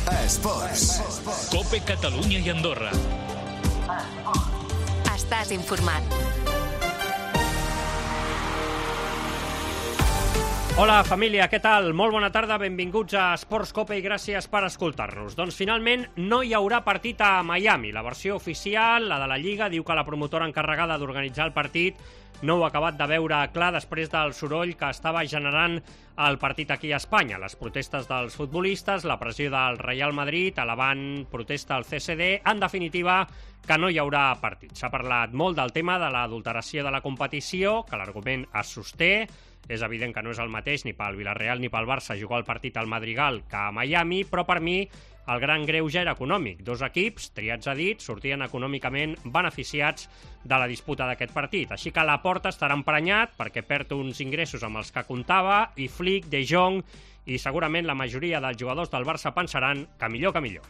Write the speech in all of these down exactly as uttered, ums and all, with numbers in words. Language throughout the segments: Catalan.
Esports. Cope Catalunya i Andorra. Estàs informat. Hola, família, què tal? Molt bona tarda, benvinguts a Esports Cope i gràcies per escoltar-nos. Doncs finalment no hi haurà partit a Miami. La versió oficial, la de la Lliga, diu que la promotora encarregada d'organitzar el partit no ho ha acabat de veure clar després del soroll que estava generant el partit aquí a Espanya. Les protestes dels futbolistes, la pressió del Real Madrid, elevant protesta al C S D, en definitiva, que no hi haurà partit. S'ha parlat molt del tema de l'adulteració de la competició, que l'argument es sosté. És evident que no és el mateix ni pel Villarreal ni pel Barça jugar el partit al Madrigal que a Miami, però per mi el gran greuge era econòmic. Dos equips, triats a dit, sortien econòmicament beneficiats de la disputa d'aquest partit. Així que Laporta estarà emprenyat perquè perd uns ingressos amb els que comptava i Flick, De Jong i segurament la majoria dels jugadors del Barça pensaran que millor que millor.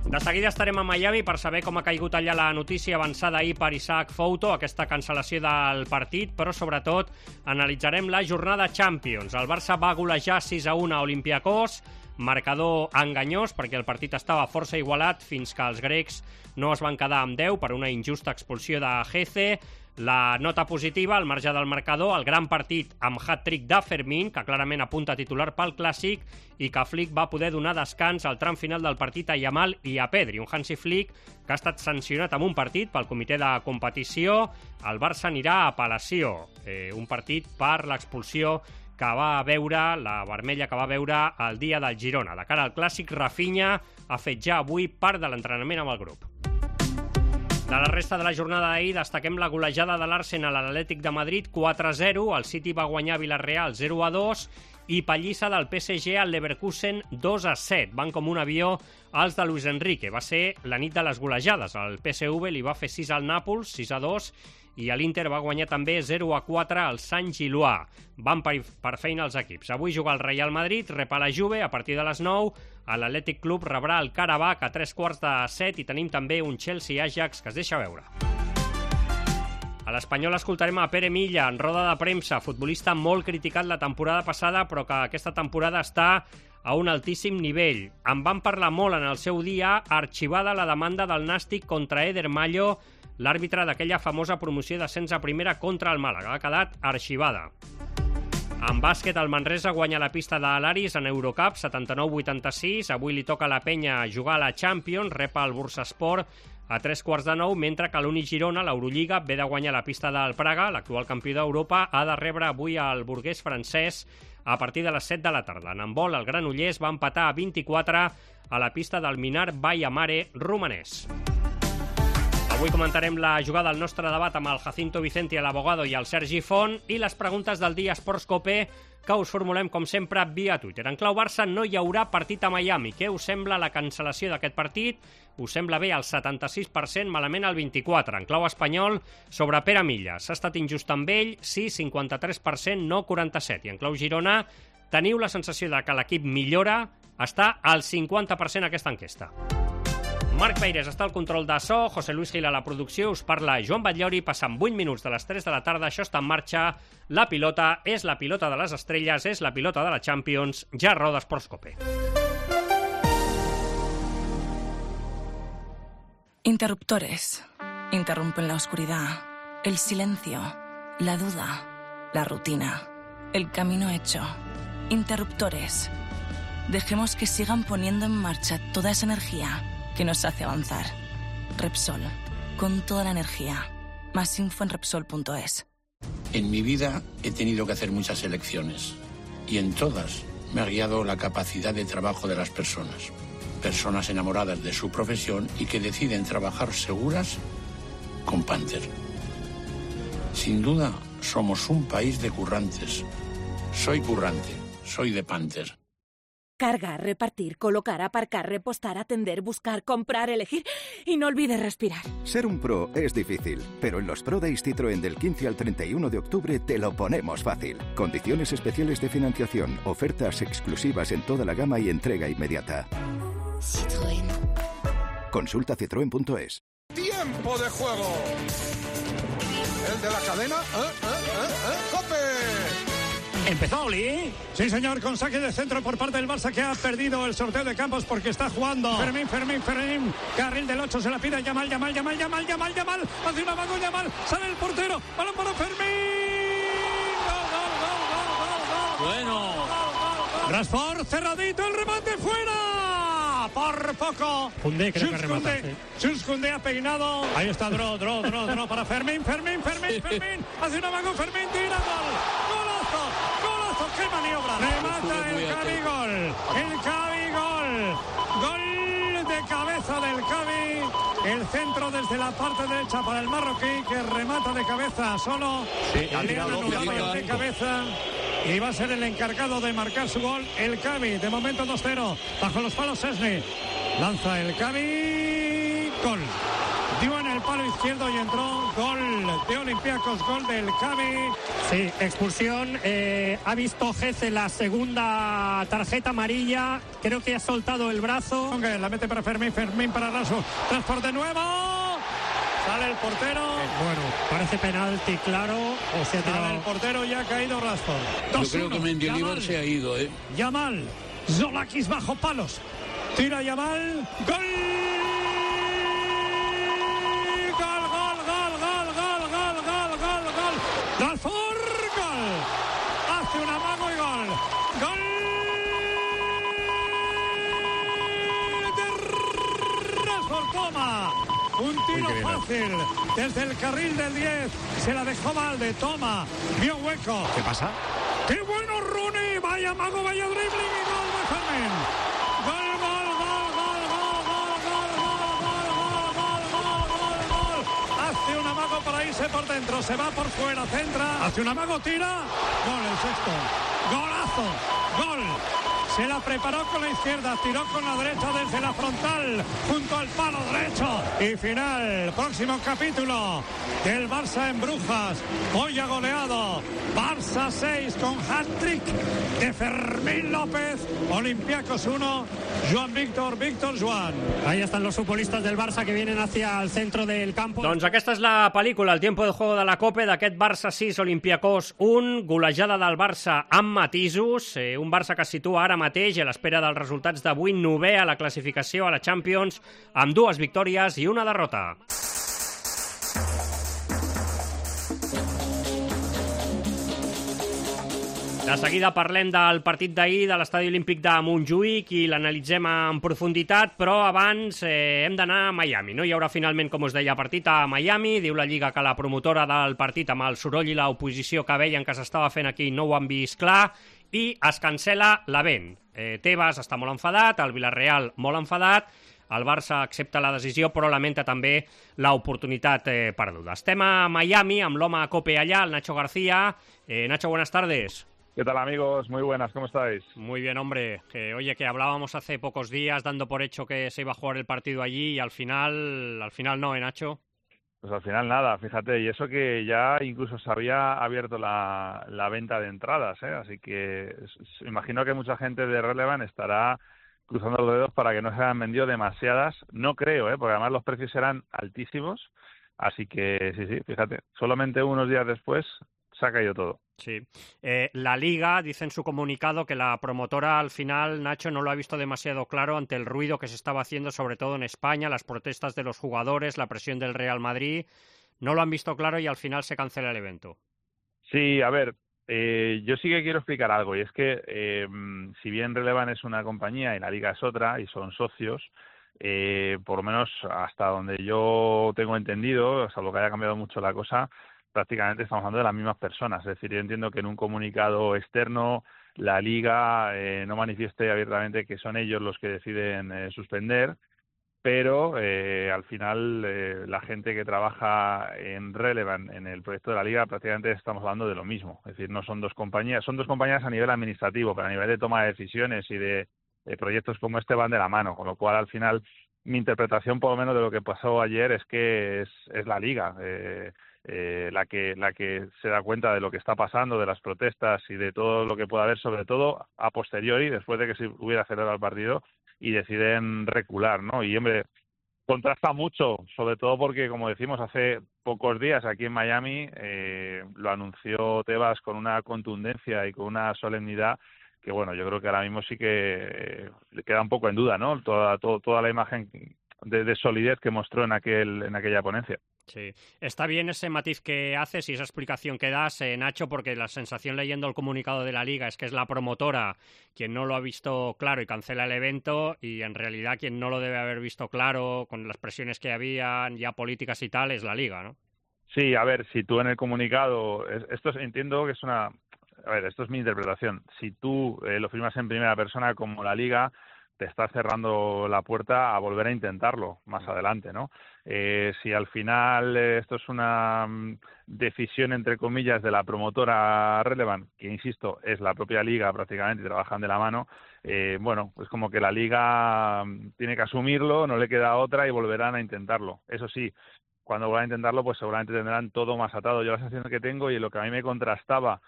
De seguida estarem a Miami per saber com ha caigut allà la notícia avançada ahir per Isaac Fouto, aquesta cancel·lació del partit, però sobretot analitzarem la jornada Champions. El Barça va golejar sis a un a Olympiacos, marcador enganyós perquè el partit estava força igualat fins que els grecs no es van quedar amb deu per una injusta expulsió de Geze. La nota positiva, al marge del marcador, el gran partit amb hat-trick de Fermín, que clarament apunta a titular pel Clàssic, i que Flick va poder donar descans al tram final del partit a Yamal i a Pedri. Un Hansi Flick que ha estat sancionat amb un partit pel comitè de competició. El Barça anirà a apel·lació, eh, un partit per l'expulsió que va veure, la vermella que va veure el dia del Girona. De cara al Clàssic, Rafinha ha fet ja avui part de l'entrenament amb el grup. De la resta de la jornada d'ahir destaquem la golejada de l'Arsenal a l'Atlètic de Madrid quatre a zero, el City va guanyar Villarreal zero a dos i pallissa del P S G al Leverkusen dos a set. Van com un avió els de Luis Enrique. Va ser la nit de les golejades. El P S V li va fer sis al Nàpols, sis a dos, i l'Inter va guanyar també zero a quatre al Sant Gillois. Van per, per feina els equips. Avui juga el Real Madrid, rep a la Juve a partir de les nou. L'Atlètic Club rebrà el Karabakh a tres quarts de set i tenim també un Chelsea-Ajax que es deixa veure. A l'Espanyol escoltarem a Pere Milla en roda de premsa, futbolista molt criticat la temporada passada però que aquesta temporada està a un altíssim nivell. En van parlar molt en el seu dia, arxivada la demanda del Nàstic contra Eder Mallo, l'àrbitre d'aquella famosa promoció d'ascens a primera contra el Màlaga. Ha quedat arxivada. En bàsquet, el Manresa guanya la pista de l'Aris en Eurocup, setanta-nou vuitanta-sis. Avui li toca a la Penya jugar a la Champions, rep el Bursaspor a tres quarts de nou, mentre que l'Uni Girona, l'Eurolliga, ve de guanyar la pista del Praga, l'actual campió d'Europa, ha de rebre avui el burguès francès a partir de les set de la tarda. En handbol, el Granollers va empatar a vint-i-quatre a la pista del Minar Baia Mare romanès. Avui comentarem la jugada al nostre debat amb el Jacinto Vicente, l'abogado, i el Sergi Font, i les preguntes del dia Esports Cope que us formulem, com sempre, via Twitter. En clau Barça no hi haurà partit a Miami. Què us sembla la cancel·lació d'aquest partit? Us sembla bé al setanta-sis per cent, malament al vint-i-quatre per cent. En clau espanyol, sobre Pere Milla. S'ha estat injust amb ell? Sí, cinquanta-tres per cent, no quaranta-set per cent. I en clau Girona, teniu la sensació de que l'equip millora? Està al cinquanta per cent aquesta enquesta. Marc Peires està al control de so, José Luis Gil a la producció, us parla Joan Batllori, passant vuit minuts de les tres de la tarda, això està en marxa, la pilota és la pilota de les estrelles, és la pilota de la Champions, ja roda Esports Cope. Interruptores. Interrumpen la oscuridad, el silencio, la duda, la rutina, el camino hecho. Interruptores. Dejemos que sigan poniendo en marcha toda esa energía que nos hace avanzar. Repsol, con toda la energía. Más info en Repsol punto es. En mi vida he tenido que hacer muchas elecciones y en todas me ha guiado la capacidad de trabajo de las personas. Personas enamoradas de su profesión y que deciden trabajar seguras con Panther. Sin duda, somos un país de currantes. Soy currante, soy de Panther. Cargar, repartir, colocar, aparcar, repostar, atender, buscar, comprar, elegir y no olvides respirar. Ser un pro es difícil, pero en los Pro Days Citroën del quince al treinta y uno de octubre te lo ponemos fácil. Condiciones especiales de financiación, ofertas exclusivas en toda la gama y entrega inmediata. Citroën. Consulta citroen punto es. ¡Tiempo de juego! El de la cadena, ¿eh? ¿Eh? ¿Eh? ¿Eh? ¡Cope! ¿Empezó Oli? Sí, señor, con saque de centro por parte del Barça, que ha perdido el sorteo de campos porque está jugando Fermín, Fermín, Fermín. Carril del ocho, se la pide Yamal, Yamal, Yamal, Yamal, Yamal, Yamal. Hace una mano Yamal, sale el portero. Balón para Fermín. Gol, gol, gol, gol, gol, gol. Bueno. Rashford, cerradito, el remate fuera. Por poco. Koundé creo que remata. Jules Koundé ha peinado. Ahí está Dro, Dro, Dro, Dro para Fermín, Fermín, Fermín, Fermín. Hace una mano Fermín, tira, gol. Golazo, golazo, qué maniobra. Remata el Cavi, gol. El Cavi, gol. Gol de cabeza del Cavi. El centro desde la parte derecha para el marroquí, que remata de cabeza solo. Sí, le han anulado de cabeza. Y va a ser el encargado de marcar su gol el Cavi. De momento dos cero. Bajo los palos Szczesny. Lanza el Cavi. Gol. Dio en el palo izquierdo y entró. Gol de Olympiacos. Gol del Cavi. Sí, expulsión. Eh, ha visto Geze la segunda tarjeta amarilla. Creo que ha soltado el brazo. La mete para Fermín. Fermín para Raso. Transporte nuevo. Sale el portero. Bueno, parece penalti, claro. O sea, Sale el portero y ha caído Rashford. Yo creo que Mendilibar se ha ido, ¿eh? Yamal. Zolakis bajo palos. Tira Yamal. Gol. Gol, gol, gol, gol, gol, gol, gol, gol, gol. Rashford. Gol. Hace un amago y gol. Gol de Rashford. Toma. Un tiro fácil desde el carril del diez. Se la dejó mal de Toma. Vio hueco. ¿Qué pasa? ¡Qué bueno Rooney! Vaya mago, vaya dribbling y gol de Fermín. Gol, gol, gol, gol, gol, gol, gol, gol, gol, gol, gol, gol, gol. Hace un amago para irse por dentro. Se va por fuera, centra. Hace un amago, tira. Gol, el sexto. Golazo. Gol. Se la preparó con la izquierda, tiró con la derecha desde la frontal, junto al palo derecho. Y final, próximo capítulo del Barça en Brujas. Hoy ha goleado Barça seis con hat-trick de Fermín López. Olympiacos uno, Joan Víctor, Víctor Joan. Ahí están los futbolistas del Barça que vienen hacia el centro del campo. Doncs aquesta és la pel·lícula, el tiempo de juego de la Copa, d'aquest Barça sis, Olympiacos un, golejada del Barça amb matisos, eh, un Barça que es situa ara mateix a l'espera dels resultats d'avui, novè a la classificació a la Champions, amb dues victòries i una derrota. De seguida parlem del partit d'ahir de l'Estadi Olímpic de Montjuïc i l'analitzem en profunditat, però abans eh, hem d'anar a Miami. No hi haurà finalment, com us deia, partit a Miami. Diu la Lliga que la promotora del partit, amb el soroll i l'oposició que veien que s'estava fent aquí, no ho han vist clar, i es cancela l'event. Eh, Tebas està molt enfadat, el Villarreal molt enfadat, el Barça accepta la decisió, però lamenta també l'oportunitat eh, perduda. Estem a Miami amb l'home a Cope allà, el Nacho García. Eh, Nacho, buenas tardes. ¿Qué tal, amigos? Muy buenas, ¿cómo estáis? Muy bien, hombre. Que, oye, que hablábamos hace pocos días dando por hecho que se iba a jugar el partido allí y al final, al final no, ¿eh, Nacho? Pues al final nada, fíjate, y eso que ya incluso se había abierto la, la venta de entradas, ¿eh? Así que imagino que mucha gente de Relevant estará cruzando los dedos para que no se hayan vendido demasiadas. No creo, ¿eh? Porque además los precios eran altísimos, así que sí, sí, fíjate, solamente unos días después se ha caído todo. Sí. Eh, la Liga dice en su comunicado que la promotora al final, Nacho, no lo ha visto demasiado claro ante el ruido que se estaba haciendo, sobre todo en España, las protestas de los jugadores, la presión del Real Madrid. No lo han visto claro y al final se cancela el evento. Sí, a ver, eh, yo sí que quiero explicar algo, y es que eh, si bien Relevant es una compañía y la Liga es otra y son socios, eh, por lo menos hasta donde yo tengo entendido, salvo que haya cambiado mucho la cosa, prácticamente estamos hablando de las mismas personas. Es decir, yo entiendo que en un comunicado externo la Liga eh, no manifieste abiertamente que son ellos los que deciden eh, suspender, pero eh, al final eh, la gente que trabaja en Relevant, en el proyecto de la Liga, prácticamente estamos hablando de lo mismo. Es decir, no son dos compañías, son dos compañías a nivel administrativo, pero a nivel de toma de decisiones y de, de proyectos como este van de la mano, con lo cual al final mi interpretación por lo menos de lo que pasó ayer es que es, es la Liga eh, Eh, la que la que se da cuenta de lo que está pasando, de las protestas y de todo lo que pueda haber, sobre todo a posteriori, después de que se hubiera acelerado el partido, y deciden recular, ¿no? Y, hombre, Contrasta mucho, sobre todo porque, como decimos, hace pocos días aquí en Miami eh, lo anunció Tebas con una contundencia y con una solemnidad que, bueno, yo creo que ahora mismo sí que eh, le queda un poco en duda, ¿no? Toda, todo, toda la imagen de, de solidez que mostró en aquel en aquella ponencia. Sí, está bien ese matiz que haces y esa explicación que das, eh, Nacho, porque la sensación leyendo el comunicado de la Liga es que es la promotora quien no lo ha visto claro y cancela el evento, y en realidad quien no lo debe haber visto claro con las presiones que habían ya políticas y tal es la Liga, ¿no? Sí, a ver, si tú en el comunicado, esto es, entiendo que es una, a ver, esto es mi interpretación, si tú eh, lo firmas en primera persona como la Liga, te está cerrando la puerta a volver a intentarlo más adelante, ¿no? Eh, si al final eh, esto es una um, decisión, entre comillas, de la promotora Relevant, que, insisto, es la propia Liga prácticamente y trabajan de la mano, eh, bueno, pues como que la Liga um, tiene que asumirlo, no le queda otra y volverán a intentarlo. Eso sí, cuando vuelvan a intentarlo, pues seguramente tendrán todo más atado. Yo la sensación que tengo y lo que a mí me contrastaba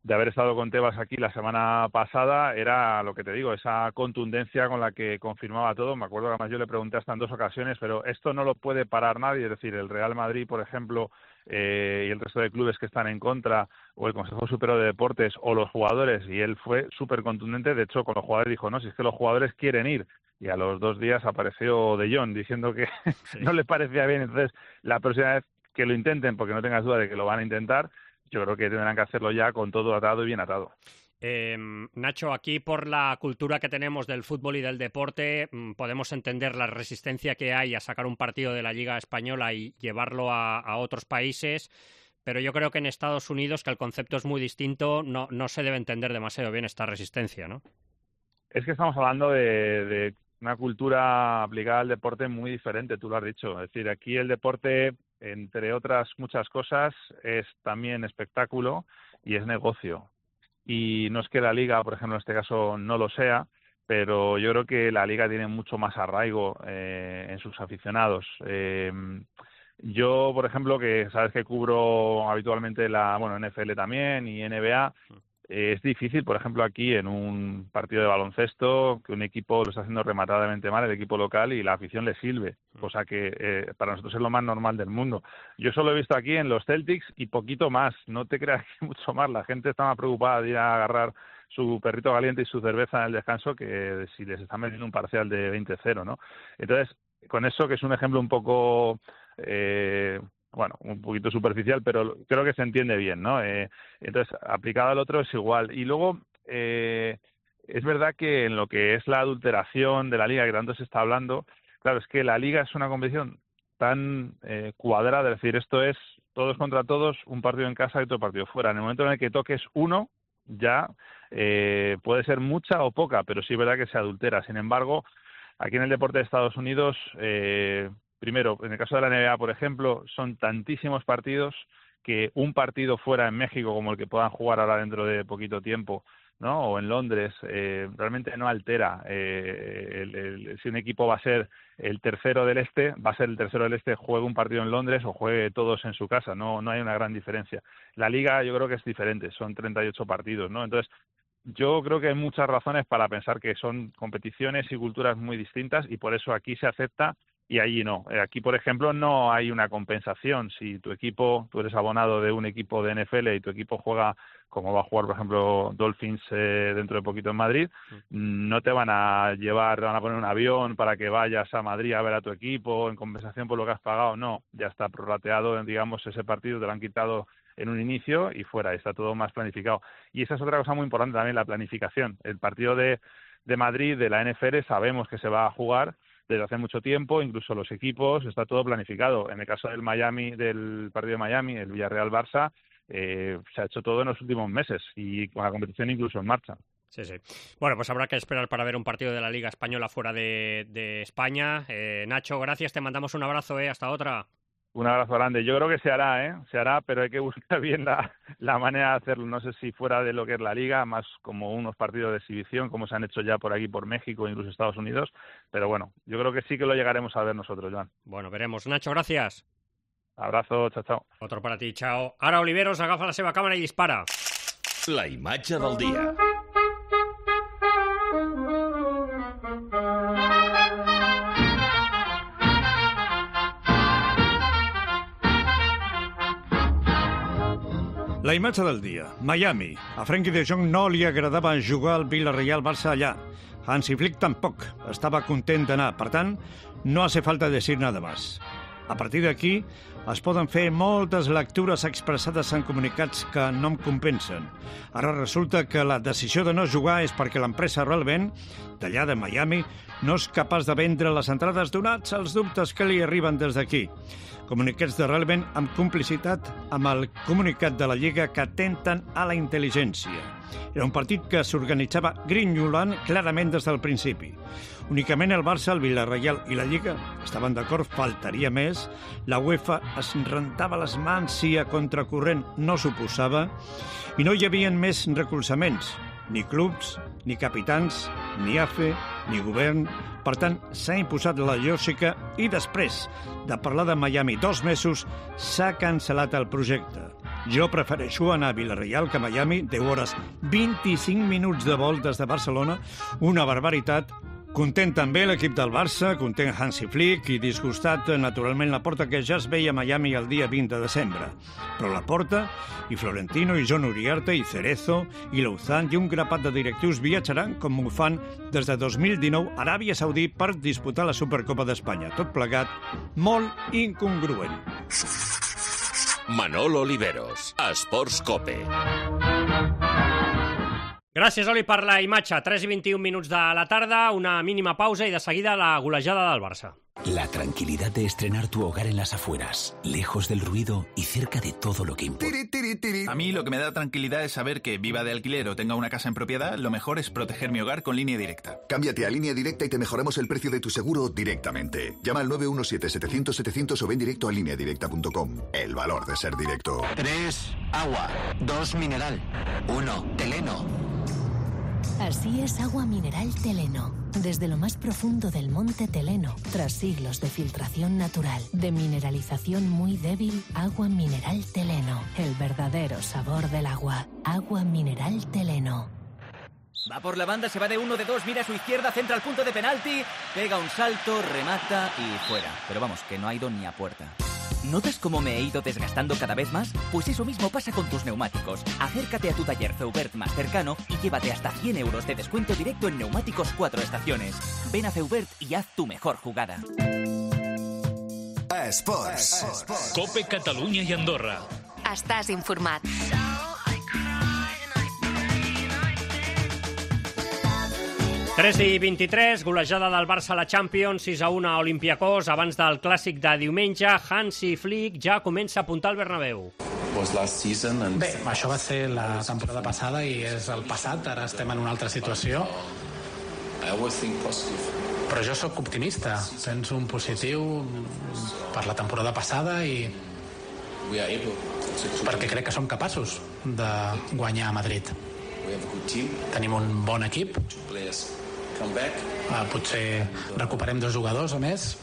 de haber estado con Tebas aquí la semana pasada era lo que te digo, esa contundencia con la que confirmaba todo. Me acuerdo que además yo le pregunté hasta en dos ocasiones, pero esto no lo puede parar nadie, es decir, el Real Madrid, por ejemplo, eh, y el resto de clubes que están en contra, o el Consejo Superior de Deportes, o los jugadores, y él fue súper contundente. De hecho, con los jugadores dijo, no, si es que los jugadores quieren ir, y a los dos días apareció De Jong diciendo que sí. no le parecía bien. Entonces, la próxima vez que lo intenten, porque no tengas duda de que lo van a intentar, yo creo que tendrán que hacerlo ya con todo atado y bien atado. Eh, Nacho, aquí por la cultura que tenemos del fútbol y del deporte, podemos entender la resistencia que hay a sacar un partido de la Liga Española y llevarlo a, a otros países, pero yo creo que en Estados Unidos, que el concepto es muy distinto, no, no se debe entender demasiado bien esta resistencia, ¿no? Es que estamos hablando de, de una cultura aplicada al deporte muy diferente, tú lo has dicho. Es decir, aquí el deporte, entre otras muchas cosas, es también espectáculo y es negocio. Y no es que la Liga, por ejemplo, en este caso no lo sea, pero yo creo que la Liga tiene mucho más arraigo eh, en sus aficionados. Eh, yo, por ejemplo, que sabes que cubro habitualmente la, bueno, N F L también y N B A, es difícil, por ejemplo, aquí en un partido de baloncesto, que un equipo lo está haciendo rematadamente mal, el equipo local, y la afición le sirve, cosa que eh, para nosotros es lo más normal del mundo. Yo solo he visto aquí en los Celtics y poquito más, no te creas que mucho más. La gente está más preocupada de ir a agarrar su perrito caliente y su cerveza en el descanso que si les están metiendo un parcial de veinte cero, ¿no? Entonces, con eso, que es un ejemplo un poco... Eh, bueno, un poquito superficial, pero creo que se entiende bien, ¿no? Eh, entonces, aplicado al otro es igual. Y luego, eh, es verdad que en lo que es la adulteración de la Liga, que tanto se está hablando, claro, es que la Liga es una competición tan eh, cuadrada, es decir, esto es todos contra todos, un partido en casa y otro partido fuera. En el momento en el que toques uno, ya eh, puede ser mucha o poca, pero sí es verdad que se adultera. Sin embargo, aquí en el deporte de Estados Unidos... Eh, Primero, en el caso de la N B A, por ejemplo, son tantísimos partidos que un partido fuera en México, como el que puedan jugar ahora dentro de poquito tiempo, ¿no? O en Londres, eh, realmente no altera. Eh, el, el, si un equipo va a ser el tercero del este, va a ser el tercero del este, juegue un partido en Londres o juegue todos en su casa. No, no hay una gran diferencia. La Liga yo creo que es diferente, son treinta y ocho partidos, ¿no? Entonces, yo creo que hay muchas razones para pensar que son competiciones y culturas muy distintas, y por eso aquí se acepta y allí no. Aquí, por ejemplo, no hay una compensación. Si tu equipo, tú eres abonado de un equipo de N F L y tu equipo juega, como va a jugar, por ejemplo, Dolphins eh, dentro de poquito en Madrid, no te van a llevar, van a poner un avión para que vayas a Madrid a ver a tu equipo en compensación por lo que has pagado. No, ya está prorrateado, digamos, ese partido te lo han quitado en un inicio y fuera, está todo más planificado. Y esa es otra cosa muy importante también, la planificación. El partido de, de Madrid, de la N F L, sabemos que se va a jugar desde hace mucho tiempo, incluso los equipos, está todo planificado. En el caso del Miami, del partido de Miami, el Villarreal-Barça, eh, se ha hecho todo en los últimos meses y con la competición incluso en marcha. Sí, sí. Bueno, pues habrá que esperar para ver un partido de la Liga Española fuera de, de España. Eh, Nacho, gracias, te mandamos un abrazo, eh, hasta otra. Un abrazo grande. Yo creo que se hará, ¿eh? Se hará, pero hay que buscar bien la, la manera de hacerlo. No sé si fuera de lo que es la Liga, más como unos partidos de exhibición, como se han hecho ya por aquí, por México, incluso Estados Unidos. Pero bueno, yo creo que sí que lo llegaremos a ver nosotros, Joan. Bueno, veremos. Nacho, gracias. Abrazo, chao, chao. Otro para ti, chao. Ara Oliveros agafa la seva càmera i dispara. La imatge del dia. La imatge del dia. Miami. A Frenkie de Jong no li agradava jugar al Villarreal-Barça allà. Hansi Flick tampoc. Estava content d'anar. Per tant, no hace falta decir nada más. A partir d'aquí, es poden fer moltes lectures expressades en comunicats que no em compensen. Ara resulta que la decisió de no jugar és perquè l'empresa Relevant, d'allà de Miami, no és capaç de vendre les entrades donats als dubtes que li arriben des d'aquí. Comunicats de Relevant amb complicitat amb el comunicat de la Lliga que atenten a la intel·ligència. Era un partit que s'organitzava grinyolant clarament des del principi. Únicament el Barça, el Villarreal i la Lliga estaven d'acord, faltaria més. La UEFA es rentava les mans si a contracorrent no s'oposava i no hi havia més recolzaments, ni clubs, ni capitans, ni A F E, ni govern. Per tant, s'ha imposat la lògica i després de parlar de Miami dos mesos s'ha cancel·lat el projecte. Jo prefereixo anar a Villarreal que a Miami, deu hores, vint-i-cinc minuts de vol des de Barcelona, una barbaritat. Content també l'equip del Barça, content Hansi Flick i disgustat, naturalment, la Porta, que ja es veia a Miami el dia vint de desembre. Però la Porta, i Florentino, i John Uriarte, i Cerezo, i Louzan, i un grapat de directius viatjaran, com ho fan des de dos mil dinou, a Aràbia Saudí per disputar la Supercopa d'Espanya. Tot plegat, molt incongruent. Manolo Oliveros, Esports Cope. Gràcies, Oli, per la imatge. tres i vint-i-un minuts de la tarda, una mínima pausa i de seguida la golejada del Barça. La tranquilidad de estrenar tu hogar en las afueras, lejos del ruido y cerca de todo lo que importa. A mí lo que me da tranquilidad es saber que viva de alquiler o tenga una casa en propiedad, lo mejor es proteger mi hogar con Línea Directa. Cámbiate a Línea Directa y te mejoramos el precio de tu seguro directamente. Llama al nueve uno siete, setecientos, setecientos o ven directo a línea directa punto com. El valor de ser directo. tres. Agua. dos. Mineral. uno. Teleno. Así es Agua Mineral Teleno. Desde lo más profundo del monte Teleno, tras siglos de filtración natural, de mineralización muy débil, Agua Mineral Teleno. El verdadero sabor del agua. Agua Mineral Teleno. Va por la banda, se va de uno, de dos, mira a su izquierda, centra al punto de penalti, pega un salto, remata y fuera. Pero vamos, que no ha ido ni a puerta. ¿Notas cómo me he ido desgastando cada vez más? Pues eso mismo pasa con tus neumáticos. Acércate a tu taller Feubert más cercano y llévate hasta cien euros de descuento directo en neumáticos cuatro estaciones. Ven a Feubert y haz tu mejor jugada. Esports. Cope Catalunya i Andorra. Estàs informat. tres i vint-i-tres, golejada del Barça a la Champions, sis a u a Olympiacos. Abans del clàssic de diumenge, Hansi Flick ja comença a apuntar al Bernabéu. Bé, això va ser la temporada passada i és el passat, ara estem en una altra situació. Però jo sóc optimista, penso un positiu per la temporada passada i perquè crec que som capaços de guanyar a Madrid. Tenim un bon equip, uh, potser recuperem dos jugadors a més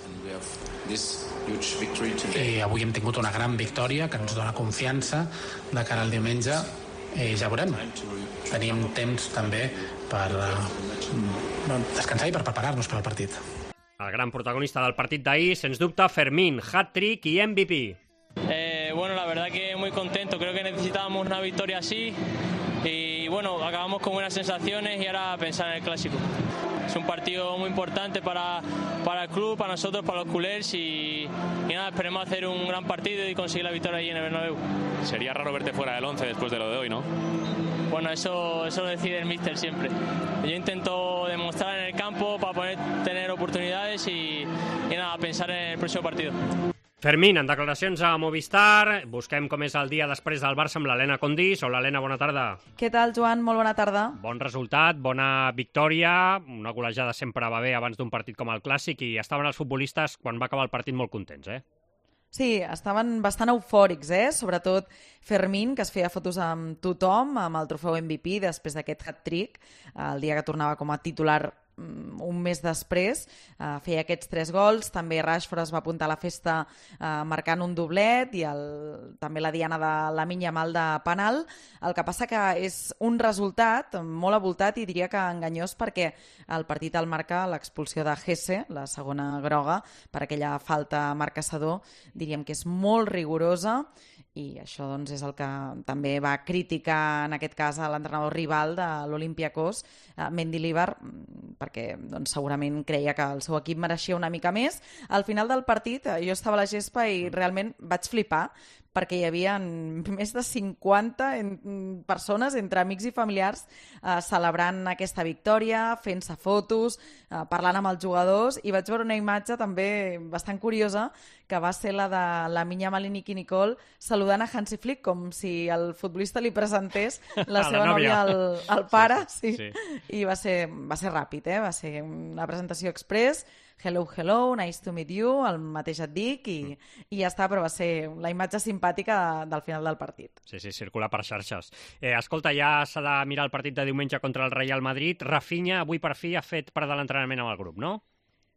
i avui hem tingut una gran victòria que ens dona confiança de cara al diumenge i ja veurem. Tenim temps també per uh, descansar i per preparar-nos per al partit. El gran protagonista del partit d'ahir, sens dubte, Fermín, hat-trick i M V P. Eh, bueno, la verdad que muy contento, creo que necesitábamos una victoria así y bueno, acabamos con buenas sensaciones y ahora pensar en el clásico. Es un partido muy importante para, para el club, para nosotros, para los culers y, y nada, esperemos hacer un gran partido y conseguir la victoria allí en el Bernabéu. Sería raro verte fuera del once después de lo de hoy, ¿no? Bueno, eso, eso lo decide el míster siempre. Yo intento demostrar en el campo para poder tener oportunidades y, y nada, pensar en el próximo partido. Fermín, en declaracions a Movistar, busquem com és el dia després del Barça amb l'Helena Condís. Hola, Helena, bona tarda. Què tal, Joan? Molt bona tarda. Bon resultat, bona victòria, una golejada sempre va bé abans d'un partit com el Clàssic i estaven els futbolistes, quan va acabar el partit, molt contents, eh? Sí, estaven bastant eufòrics, eh? Sobretot Fermín, que es feia fotos amb tothom, amb el trofeu M V P després d'aquest hat-trick, el dia que tornava com a titular un mes després, uh, feia aquests tres gols. També Rashford es va apuntar a la festa uh, marcant un doblet i el, també la diana de Lamine Yamal de penal. El que passa que és un resultat molt avoltat i diria que enganyós perquè el partit el marca l'expulsió de Hesse, la segona groga, per aquella falta a Marc Caçador, diríem que és molt rigorosa i això doncs, és el que també va criticar en aquest cas a l'entrenador rival de l'Olympiacos, Mendilibar, perquè doncs, segurament creia que el seu equip mereixia una mica més. Al final del partit jo estava a la gespa i realment vaig flipar, perquè hi havia més de cinquanta persones, entre amics i familiars, eh, celebrant aquesta victòria, fent-se fotos, eh, parlant amb els jugadors, i vaig veure una imatge també bastant curiosa, que va ser la de la Minya Malini i Nicole saludant a Hansi Flick, com si el futbolista li presentés la seva la nòvia al, al pare, sí, sí. sí. I va ser, va ser ràpid, eh? Va ser una presentació express, hello, hello, nice to meet you, el mateix et dic, i, mm. i ja està, però va ser la imatge simpàtica del final del partit. Sí, sí, circula per xarxes. Eh, escolta, ja s'ha de mirar el partit de diumenge contra el Real Madrid. Rafinha, avui per fi, ha fet part de l'entrenament amb el grup, no?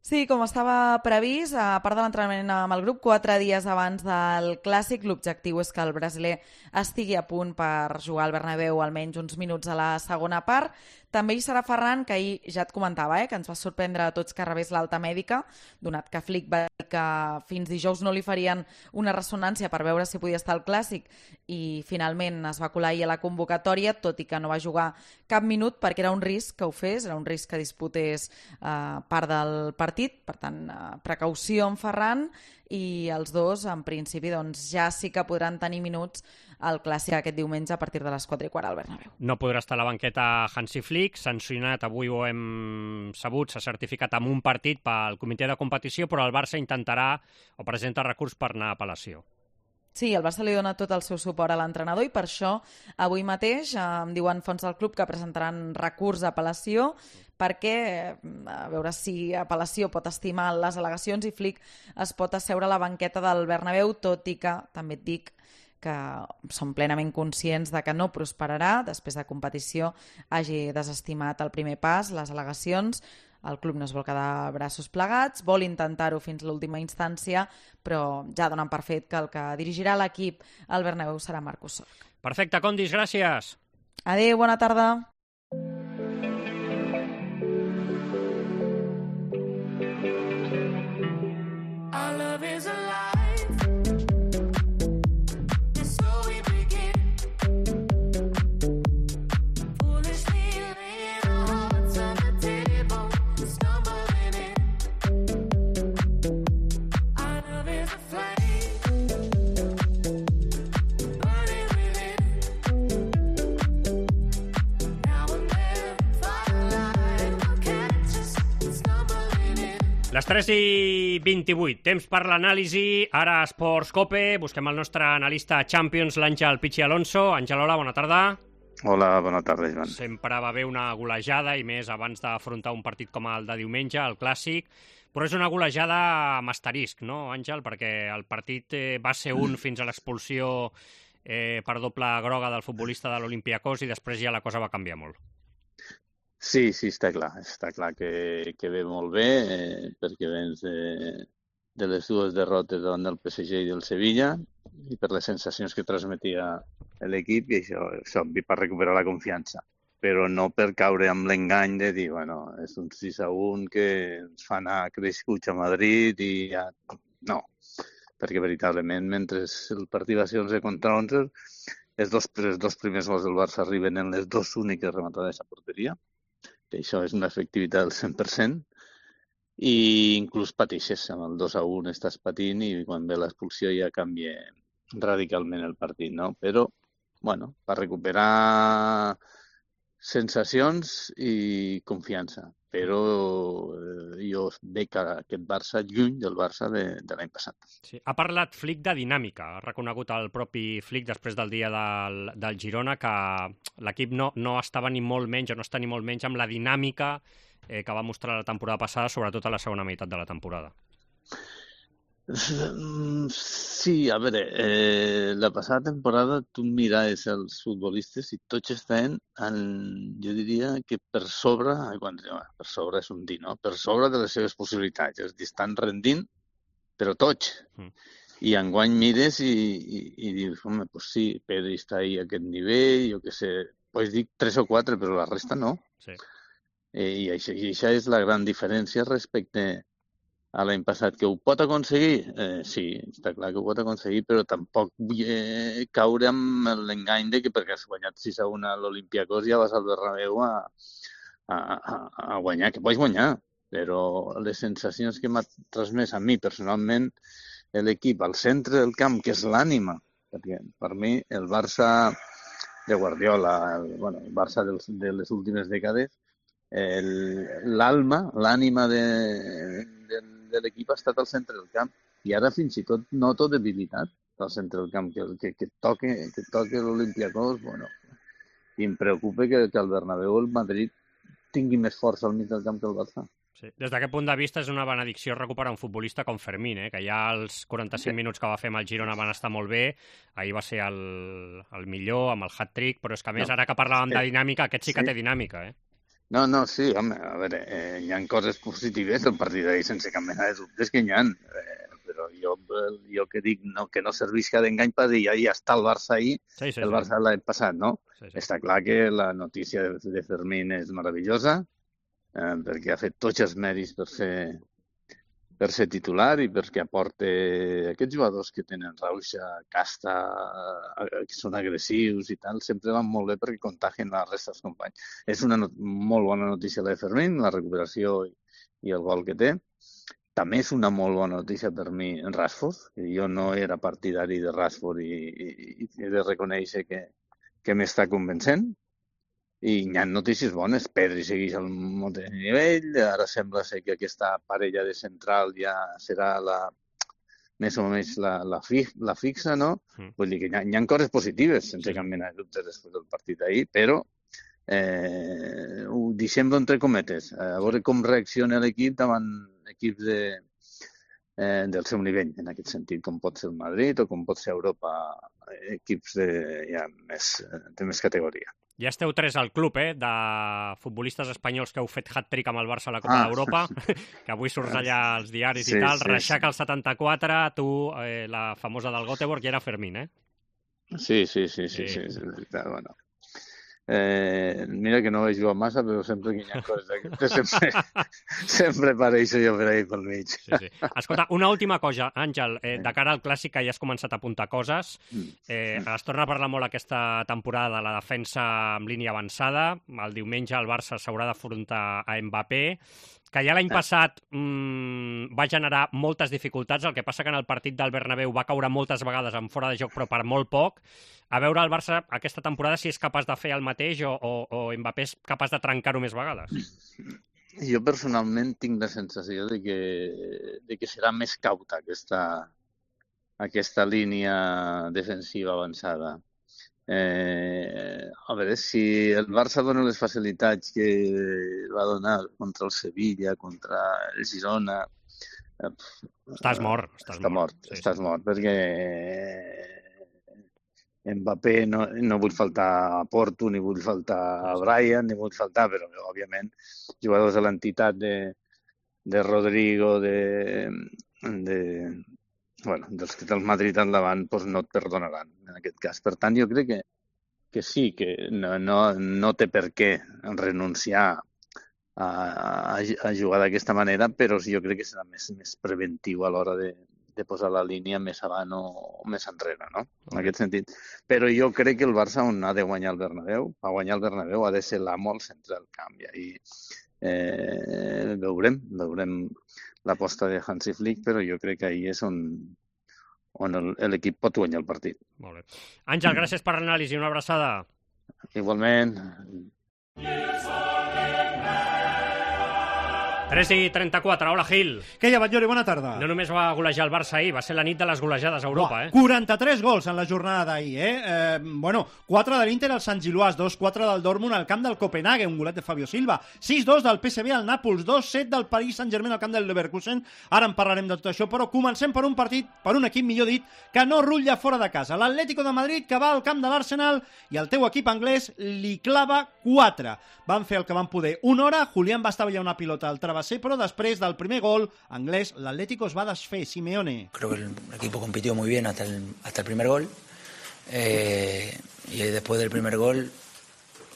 Sí, com estava previst, a part de l'entrenament amb el grup, quatre dies abans del Clàssic, l'objectiu és que el brasiler estigui a punt per jugar al Bernabéu almenys uns minuts a la segona part. També hi serà Ferran, que ahir ja et comentava, eh, que ens va sorprendre a tots que rebés l'alta mèdica, donat que Flick va dir que fins dijous no li farien una ressonància per veure si podia estar al Clàssic, i finalment es va colar ahir a la convocatòria, tot i que no va jugar cap minut perquè era un risc que ho fes, era un risc que disputés eh, part del partit, per tant, eh, precaució en Ferran, i els dos, en principi, doncs, ja sí que podran tenir minuts al Clàssic aquest diumenge a partir de les quatre i quart al Bernabéu. No podrà estar a la banqueta Hansi Flick, sancionat, avui ho hem sabut, s'ha certificat amb un partit pel comitè de competició, però el Barça intentarà o presenta recurs per anar a apel·lació. Sí, el Barça li dona tot el seu suport a l'entrenador i per això avui mateix eh, em diuen fonts del club que presentaran recurs d'apel·lació perquè, a veure si apel·lació pot estimar les al·legacions i Flick es pot asseure a la banqueta del Bernabéu, tot i que, també et dic, que som plenament conscients de que no prosperarà, després de competició hagi desestimat el primer pas, les al·legacions. El club no es vol quedar braços plegats, vol intentar-ho fins a l'última instància, però ja donen per fet que el que dirigirà l'equip al Bernabéu serà Marcus Sorg. Perfecte, Condis, gràcies. Adéu, bona tarda. Les tres i vint-i-vuit, temps per l'anàlisi. Ara a Esports Cope, busquem el nostre analista Champions, l'Àngel Pichi Alonso. Àngel, hola, bona tarda. Hola, bona tarda, Joan. Sempre va haver una golejada, i més abans d'afrontar un partit com el de diumenge, el Clàssic, però és una golejada amb asterisc, no, Àngel? Perquè el partit eh, va ser un fins a l'expulsió eh, per doble groga del futbolista de l'Olympiacos i després ja la cosa va canviar molt. Sí, sí, està clar. Està clar que, que ve molt bé, eh, perquè vens de, de les dues derrotes davant del P S G i del Sevilla, i per les sensacions que transmetia l'equip, i això és obvi per recuperar la confiança. Però no per caure amb l'engany de dir, bueno, és un sis a un que ens fa anar crescuts a Madrid i ja... No, perquè veritablement, mentre el partit va ser onze contra onze, els dos, els dos primers gols del Barça arriben en les dues úniques rematades a porteria, que això és una efectivitat del cent per cent, i inclús pateixes, amb el dos a un estàs patint i quan ve l'expulsió ja canvia radicalment el partit, no? Però, bueno, per recuperar sensacions i confiança, però eh, jo veig aquest Barça lluny del Barça de, de l'any passat. Sí. Ha parlat Flick de dinàmica, ha reconegut el propi Flick després del dia del, del Girona que l'equip no, no estava ni molt menys, o no està ni molt menys amb la dinàmica eh, que va mostrar la temporada passada, sobretot a la segona meitat de la temporada. Sí, a veure, eh, la passada temporada tu miraves els futbolistes i tots estaven, en, jo diria que per sobre, quan, per sobre és un dir, no? Per sobre de les seves possibilitats, és dir, estan rendint, però tots. Mm. I enguany mires i, i, i dius, home, pues sí, Pedri està ahí a aquest nivell, jo què sé, pues dic tres o quatre, però la resta no. Sí. Eh, i, això, I això és la gran diferència respecte a l'any passat, que ho pot aconseguir? Eh, sí, està clar que ho pot aconseguir, però tampoc vull eh, caure amb l'engany de que perquè has guanyat sis a un a l'Olympiacos ja vas al Bernabéu a, a, a, a guanyar, que pots guanyar, però les sensacions que m'ha transmès a mi personalment l'equip al centre del camp, que és l'ànima, perquè per mi el Barça de Guardiola, el, bueno, el Barça dels, de les últimes dècades, l'alma, l'ànima de, de, de l'equip ha estat al centre del camp i ara fins i tot noto debilitat al centre del camp, que, que, que toque, que toque l'Olympiacos, bueno, i em preocupa que, que el Bernabéu el Madrid tingui més força al mig del camp que el Barça. Sí. Des d'aquest punt de vista és una benedicció recuperar un futbolista com Fermín, eh? Que ja els quaranta-cinc minuts que va fer amb el Girona van estar molt bé, ahir va ser el, el millor amb el hat-trick, però és que a més, no. Ara que parlàvem sí. de dinàmica, aquest sí que sí. té dinàmica, eh? No, no, sí, home, a veure, eh, hi ha coses positives del partit d'ahir sense cap mena de dubtes que hi ha, eh, però jo, jo que dic no, que no servisca d'engany per dir ja, ja està el Barça ahir, sí, sí, el Barça sí. l'any passat, no? Sí, sí. Està clar que la notícia de, de Fermín és meravellosa, eh, perquè ha fet tots els mèrits per ser, per ser titular i perquè aporta aquests jugadors que tenen rauxa, casta, que són agressius i tal, sempre van molt bé perquè contagien la resta dels companys. És una not molt bona notícia la de Fermín, la recuperació i, i el gol que té. També és una molt bona notícia per mi en Rashford, que jo no era partidari de Rashford i, i, i he de reconèixer que, que m'està convencent. I hi ha notícies bones. Pedri segueix al mateix nivell, ara sembla ser que aquesta parella de central ja serà la, més o menys la, la, fi, la fixa, no? Mm. Vull dir que hi ha, hi ha coses positives, sense cap mena de dubte després del partit d'ahir, però eh, ho deixem entre cometes, a veure com reacciona l'equip davant equips de, eh, del seu nivell, en aquest sentit, com pot ser el Madrid o com pot ser Europa, equips de, ja, més, de més categoria. Ja esteu tres al club, eh, de futbolistes espanyols que heu fet hat-trick amb el Barça a la Copa ah. d'Europa, que avui surts allà als diaris sí, i tal. Sí, Reixac al setanta-quatre, tu, eh, la famosa del Göteborg, i era Fermín, eh? Sí, sí, sí, sí, sí, sí, sí, sí bueno. Eh, mira que no vaig jugar massa, però sempre que hi ha coses d'aquestes, sempre, sempre apareixo jo per ahí pel mig. Sí, sí. Escolta, una última cosa, Àngel, eh, de cara al clàssic, que ja has començat a apuntar coses, eh, es torna a parlar molt aquesta temporada de la defensa amb línia avançada, el diumenge el Barça s'haurà d'afrontar a Mbappé, que ja l'any passat mmm, va generar moltes dificultats, el que passa que en el partit del Bernabéu va caure moltes vegades en fora de joc, però per molt poc. A veure el Barça aquesta temporada si és capaç de fer el mateix o, o, o Mbappé és capaç de trencar-ho més vegades. Jo personalment tinc la sensació de que, de que serà més cauta aquesta, aquesta línia defensiva avançada. Eh, a veure, si el Barça dona les facilitats que va donar contra el Sevilla, contra el Girona... Eh, estàs mort. Estàs està mort, mort sí, estàs sí. mort, perquè Mbappé no, no vull faltar a Porto, ni vull faltar a Brian, ni vull faltar, però òbviament jugadors de l'entitat de, de Rodrigo, de... de bueno, dels que té el Madrid al davant doncs no et perdonaran en aquest cas. Per tant, jo crec que, que sí, que no, no, no té per què renunciar a, a, a jugar d'aquesta manera, però jo crec que serà més, més preventiu a l'hora de, de posar la línia més avant o, o més enrere, no? En aquest sentit. Però jo crec que el Barça on ha de guanyar el Bernabéu, a guanyar el Bernabéu ha de ser l'amo al centre del camp. I eh, veurem, veurem l'aposta de Hansi Flick, però jo crec que ahir és on, on l'equip pot guanyar el partit. Molt bé. Àngel, gràcies per l'anàlisi. Una abraçada. Igualment. tres i trenta-quatre, hola Gil. Què hi ha, Batllori? Bona tarda. No només va golejar el Barça ahir, va ser la nit de les golejades a Europa, Uah, eh? quaranta-tres gols en la jornada d'ahir, eh? eh? Bueno, quatre de l'Inter al Sant Gilloàs, dos quatre del Dortmund al camp del Copenhague, un golet de Fabio Silva, sis dos del P S V al Nàpols, dos set del Paris Saint-Germain al camp del Leverkusen. Ara en parlarem de tot això, però comencem per un partit, per un equip, millor dit, que no rutlla fora de casa. L'Atlético de Madrid, que va al camp de l'Arsenal, i el teu equip anglès li clava quatre. Van fer el que van poder. Una hora, Julián va estavellar una pilota al travesser, però després del primer gol anglès, l'Atlético es va desfer. Simeone. Creo que el equipo compitió muy bien hasta el, hasta el primer gol. Eh, y después del primer gol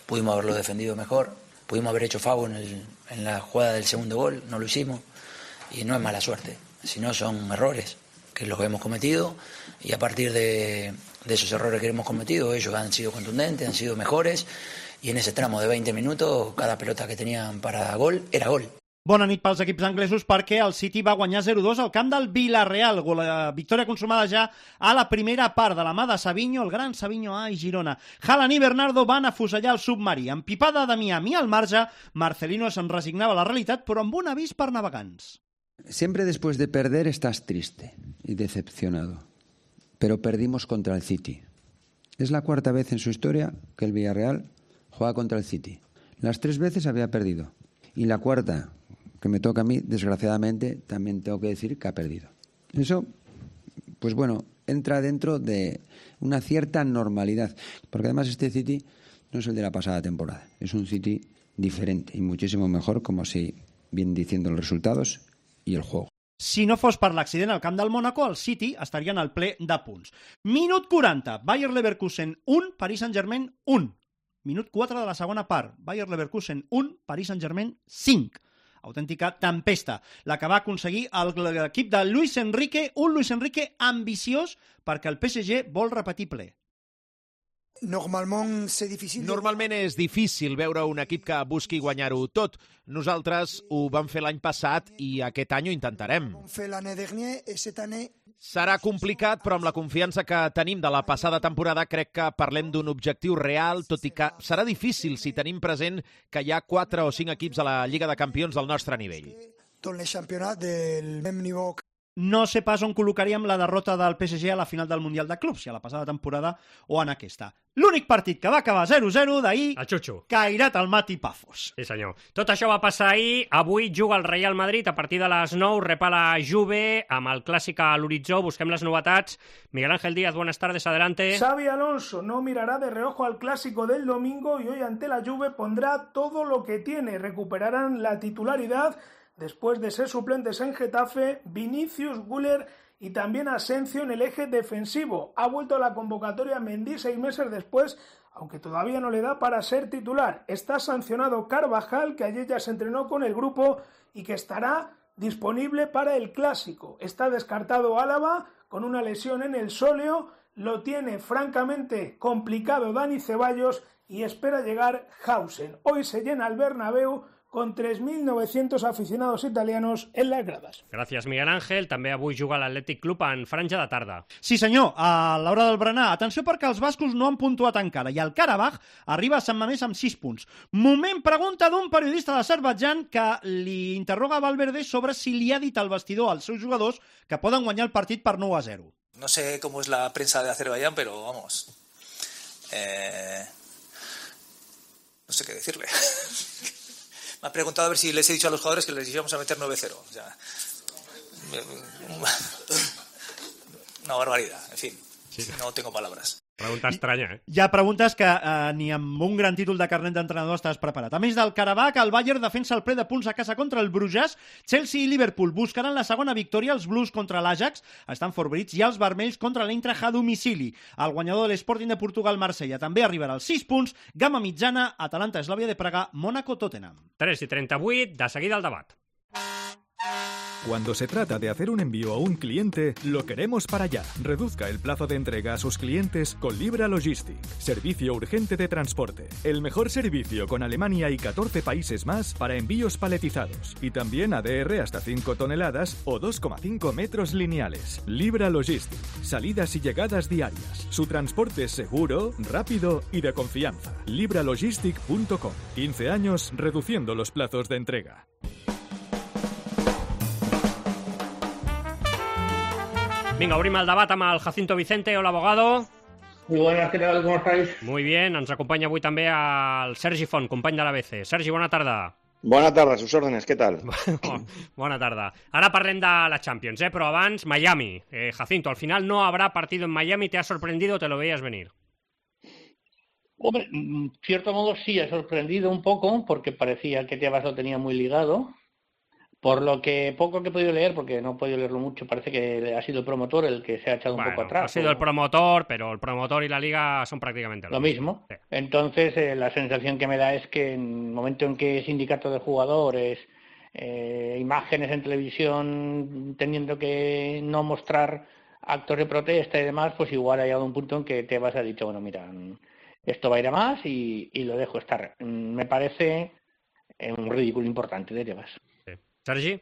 pudimos haberlo defendido mejor. Pudimos haber hecho foul en, el, en la jugada del segundo gol, no lo hicimos. y no es mala suerte, sino son errores, que es lo que hemos cometido, y a partir de, de esos errores que hemos cometido, ellos han sido contundentes, han sido mejores, y en ese tramo de veinte minutos, cada pelota que tenían para gol era gol. Bona nit pels equips anglesos perquè el City va guanyar zero dos al camp del Villarreal. La victòria consumada ja a la primera part de la mà de Savinho, el gran Savinho A i Girona. Haaland i Bernardo van afusellar el submarí. Empipada de Miami al marge, Marcelino se'n resignava a la realitat, però amb un avís per navegants. Siempre después de perder estás triste y decepcionado, pero perdimos contra el City. Es la cuarta vez en su historia que el Villarreal juega contra el City. Las tres veces había perdido. Y la cuarta, que me toca a mí, desgraciadamente, también tengo que decir que ha perdido. Eso, pues bueno, entra dentro de una cierta normalidad. Porque además este City no es el de la pasada temporada. Es un City diferente y muchísimo mejor, como si vienen diciendo los resultados i el juego. Si no fos per l'accident al camp del Mónaco, el City estaria en el ple de punts. Minut quaranta, Bayer Leverkusen un, Paris Saint-Germain un. Minut quatre de la segona part, Bayer Leverkusen un, Paris Saint-Germain cinc. Autèntica tempesta, la que va aconseguir l'equip de Luis Enrique, un Luis Enrique ambiciós perquè el P S G vol repetir ple. Normalment és difícil... Normalment és difícil veure un equip que busqui guanyar-ho tot. Nosaltres ho vam fer l'any passat i aquest any ho intentarem. Serà complicat, però amb la confiança que tenim de la passada temporada crec que parlem d'un objectiu real, tot i que serà difícil si tenim present que hi ha quatre o cinc equips a la Lliga de Campions del nostre nivell. Tot el campionat del même nivell. No sé pas on col·locaríem la derrota del P S G a la final del Mundial de Clubs, si a la passada temporada o en aquesta. L'únic partit que va acabar zero zero d'ahir, el Xuxu. Cairat al Mati Pafos. Sí, senyor. Tot això va passar ahir. Avui juga el Real Madrid a partir de les nou, rep a la Juve, amb el clàssic a l'horitzó. Busquem les novetats. Miguel Ángel Díaz, buenas tardes, adelante. Xavi Alonso no mirará de reojo al clásico del domingo y hoy ante la Juve pondrá todo lo que tiene. Recuperarán la titularidad después de ser suplentes en Getafe, Vinicius, Güler y también Asensio en el eje defensivo. Ha vuelto a la convocatoria Mendy seis meses después, aunque todavía no le da para ser titular. Está sancionado Carvajal, que ayer ya se entrenó con el grupo y que estará disponible para el Clásico. Está descartado Álava con una lesión en el sóleo. Lo tiene francamente complicado Dani Ceballos y espera llegar Hausen. Hoy se llena el Bernabéu con tres mil novecientos aficionados italianos en las gradas. Gràcies, Miguel Ángel. També avui juga l'Atlètic Club en franja de tarda. Sí, senyor, a l'hora del berenar. Atenció perquè els bascos no han puntuat encara i el Karabakh arriba a Sant Mamés amb sis punts. Moment pregunta d'un periodista d'Azerbaidjan que li interroga a Valverde sobre si li ha dit al vestidor als seus jugadors que poden guanyar el partit per nou a zero. No sé cómo es la prensa de Azerbaiyán, pero vamos... Eh... No sé qué decirle. Me ha preguntado a ver si les he dicho a los jugadores que les íbamos a meter nueve cero. O sea, una barbaridad, en fin, sí. No tengo palabras. Pregunta estranya, eh? Hi ha preguntes que eh, ni amb un gran títol de carnet d'entrenador estàs preparat. A més del Karabakh, el Bayern defensa el ple de punts a casa contra el Bruges. Chelsea i Liverpool buscaran la segona victòria. Els Blues contra l'Ajax estan favorits i els vermells contra l'Eintracht a domicili. El guanyador de l'Sporting de Portugal, Marsella, també arribarà als sis punts. Gamma mitjana, Atalanta, Eslàvia de Praga, Mónaco, Tottenham. tres i trenta-vuit, de seguida el debat. Cuando se trata de hacer un envío a un cliente, lo queremos para allá. Reduzca el plazo de entrega a sus clientes con Libra Logistic. Servicio urgente de transporte. El mejor servicio con Alemania y catorce países más para envíos paletizados. Y también A D R hasta cinco toneladas o dos coma cinco metros lineales. Libra Logistic. Salidas y llegadas diarias. Su transporte es seguro, rápido y de confianza. libra logistic punto com. quince años reduciendo los plazos de entrega. Vinga, obrim el debat amb el Jacinto Vicente. Hola, abogado. Muy buenas, ¿qué tal? ¿Cómo estáis? Muy bien, ens acompanya avui també el Sergi Font, company de l'A B C. Sergi, bona tarda. Bona tarda, a sus órdenes, ¿qué tal? Bona tarda. Ara parlem de la Champions, eh? Però abans, Miami. Eh, Jacinto, al final no habrá partido en Miami. ¿Te ha sorprendido o te lo veías venir? Hombre, en cierto modo sí, ha sorprendido un poco, porque parecía que Tebas lo tenía muy ligado. Por lo que poco que he podido leer, porque no he podido leerlo mucho, parece que ha sido el promotor el que se ha echado bueno, un poco atrás. Ha sido o... el promotor, pero el promotor y la liga son prácticamente lo, lo mismo. mismo. Sí. Entonces, eh, la sensación que me da es que en el momento en que sindicato de jugadores eh, imágenes en televisión teniendo que no mostrar actos de protesta y demás, pues igual ha llegado un punto en que Tebas ha dicho, bueno, mira, esto va a ir a más y, y lo dejo estar. Me parece un ridículo importante de Tebas. Sí. ¿Sergi?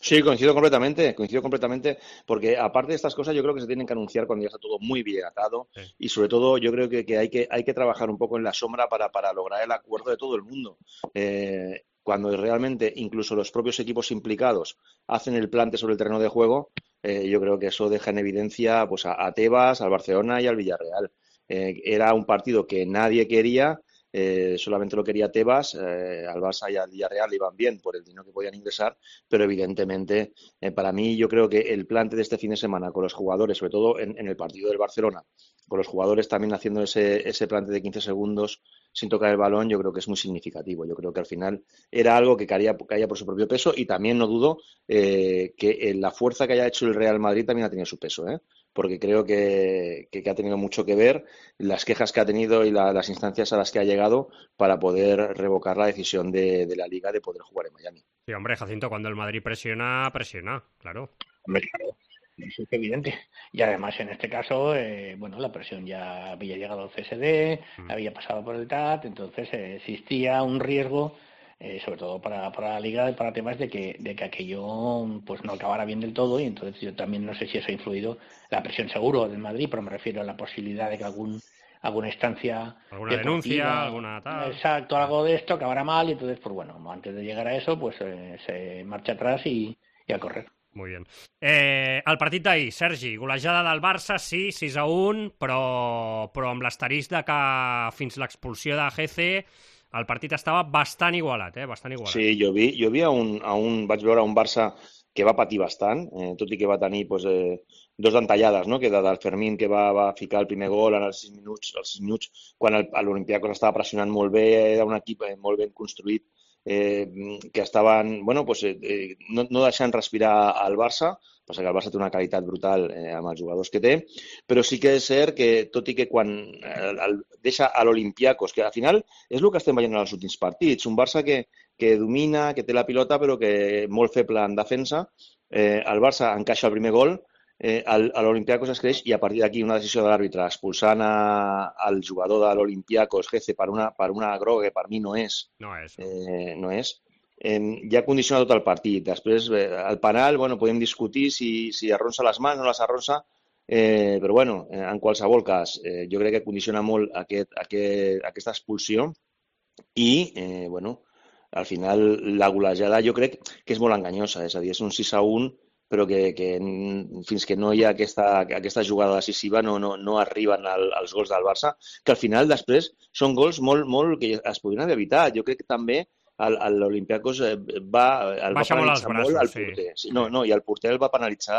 Sí, coincido completamente, coincido completamente, porque aparte de estas cosas yo creo que se tienen que anunciar cuando ya está todo muy bien atado sí. Y sobre todo yo creo que, que, hay que hay que trabajar un poco en la sombra para, para lograr el acuerdo de todo el mundo. Eh, cuando realmente incluso los propios equipos implicados hacen el plante sobre el terreno de juego, eh, yo creo que eso deja en evidencia pues a, a Tebas, al Barcelona y al Villarreal. Eh, era un partido que nadie quería. Eh, solamente lo quería Tebas, eh, al Barça y al Villarreal iban bien por el dinero que podían ingresar, pero evidentemente eh, para mí yo creo que el plante de este fin de semana con los jugadores, sobre todo en, en el partido del Barcelona, con los jugadores también haciendo ese, ese plante de quince segundos sin tocar el balón, yo creo que es muy significativo. Yo creo que al final era algo que caía, caía por su propio peso y también no dudo eh, que la fuerza que haya hecho el Real Madrid también ha tenido su peso, ¿eh? Porque creo que, que, que ha tenido mucho que ver las quejas que ha tenido y la, las instancias a las que ha llegado para poder revocar la decisión de, de la Liga de poder jugar en Miami. Sí, hombre, Jacinto, cuando el Madrid presiona, presiona, claro. Hombre, claro, eso es evidente. Y además, en este caso, eh, bueno, la presión ya había llegado al C S D, mm. había pasado por el T A T, entonces eh, existía un riesgo, Eh, sobre todo para, para la Liga, para temas de que, de que aquello pues no acabara bien del todo, y entonces yo también no sé si eso ha influido, la presión seguro del Madrid, pero me refiero a la posibilidad de que algún alguna instancia alguna denuncia, alguna tal, exacto, algo de esto acabará mal, y entonces pues bueno, antes de llegar a eso pues eh, se marcha atrás y, y a correr. Molt bé. Eh, el partit d'ahir, Sergi, golejada del Barça, sí, sis a un, però, però amb l'asterisc de que fins l'expulsió de G C el partit estava bastant igualat, eh? Bastant igualat. Sí, jo vi, jo vi a un, a un, vaig veure un Barça que va patir bastant, eh, tot i que va tenir pues, eh, dos d'entallades, no? Que de, del Fermín que va, va ficar el primer gol en els sis minuts, els sis minuts quan l'Olympiacos estava pressionant molt bé, era un equip eh, molt ben construït, eh, que estaven, bueno, pues, eh, no, no deixant respirar al Barça, passa que el Barça té una qualitat brutal eh, amb els jugadors que té, però sí que és cert que, tot i que quan el, el, deixa a l'Olympiacos, que al final és el que estem veient en els últims partits, un Barça que, que domina, que té la pilota, però que molt feble en defensa, eh, el Barça encaixa el primer gol, eh, l'Olympiacos es creix i a partir d'aquí una decisió de l'àrbitre expulsant a, al jugador de l'Olympiacos, Gece, per una, per una groga que per mi no és. No és. Eh, no és. Eh, ja condiciona tot el partit. Després, eh, el penal, bueno, podem discutir si, si arronsa les mans o no les arronsa, eh, però bueno, eh, en qualsevol cas, eh, jo crec que condiciona molt aquest, aquest, aquesta expulsió i, eh, bueno, al final la golejada jo crec que és molt enganyosa, és a dir, és un sis a un, però que, que fins que no hi ha aquesta, aquesta jugada decisiva no, no, no arriben al, als gols del Barça, que al final després són gols molt, molt que es podrien haver evitat. Jo crec que també l'Olympiacos va, el va penalitzar molt al porter. Sí. No, no, i el porter el va penalitzar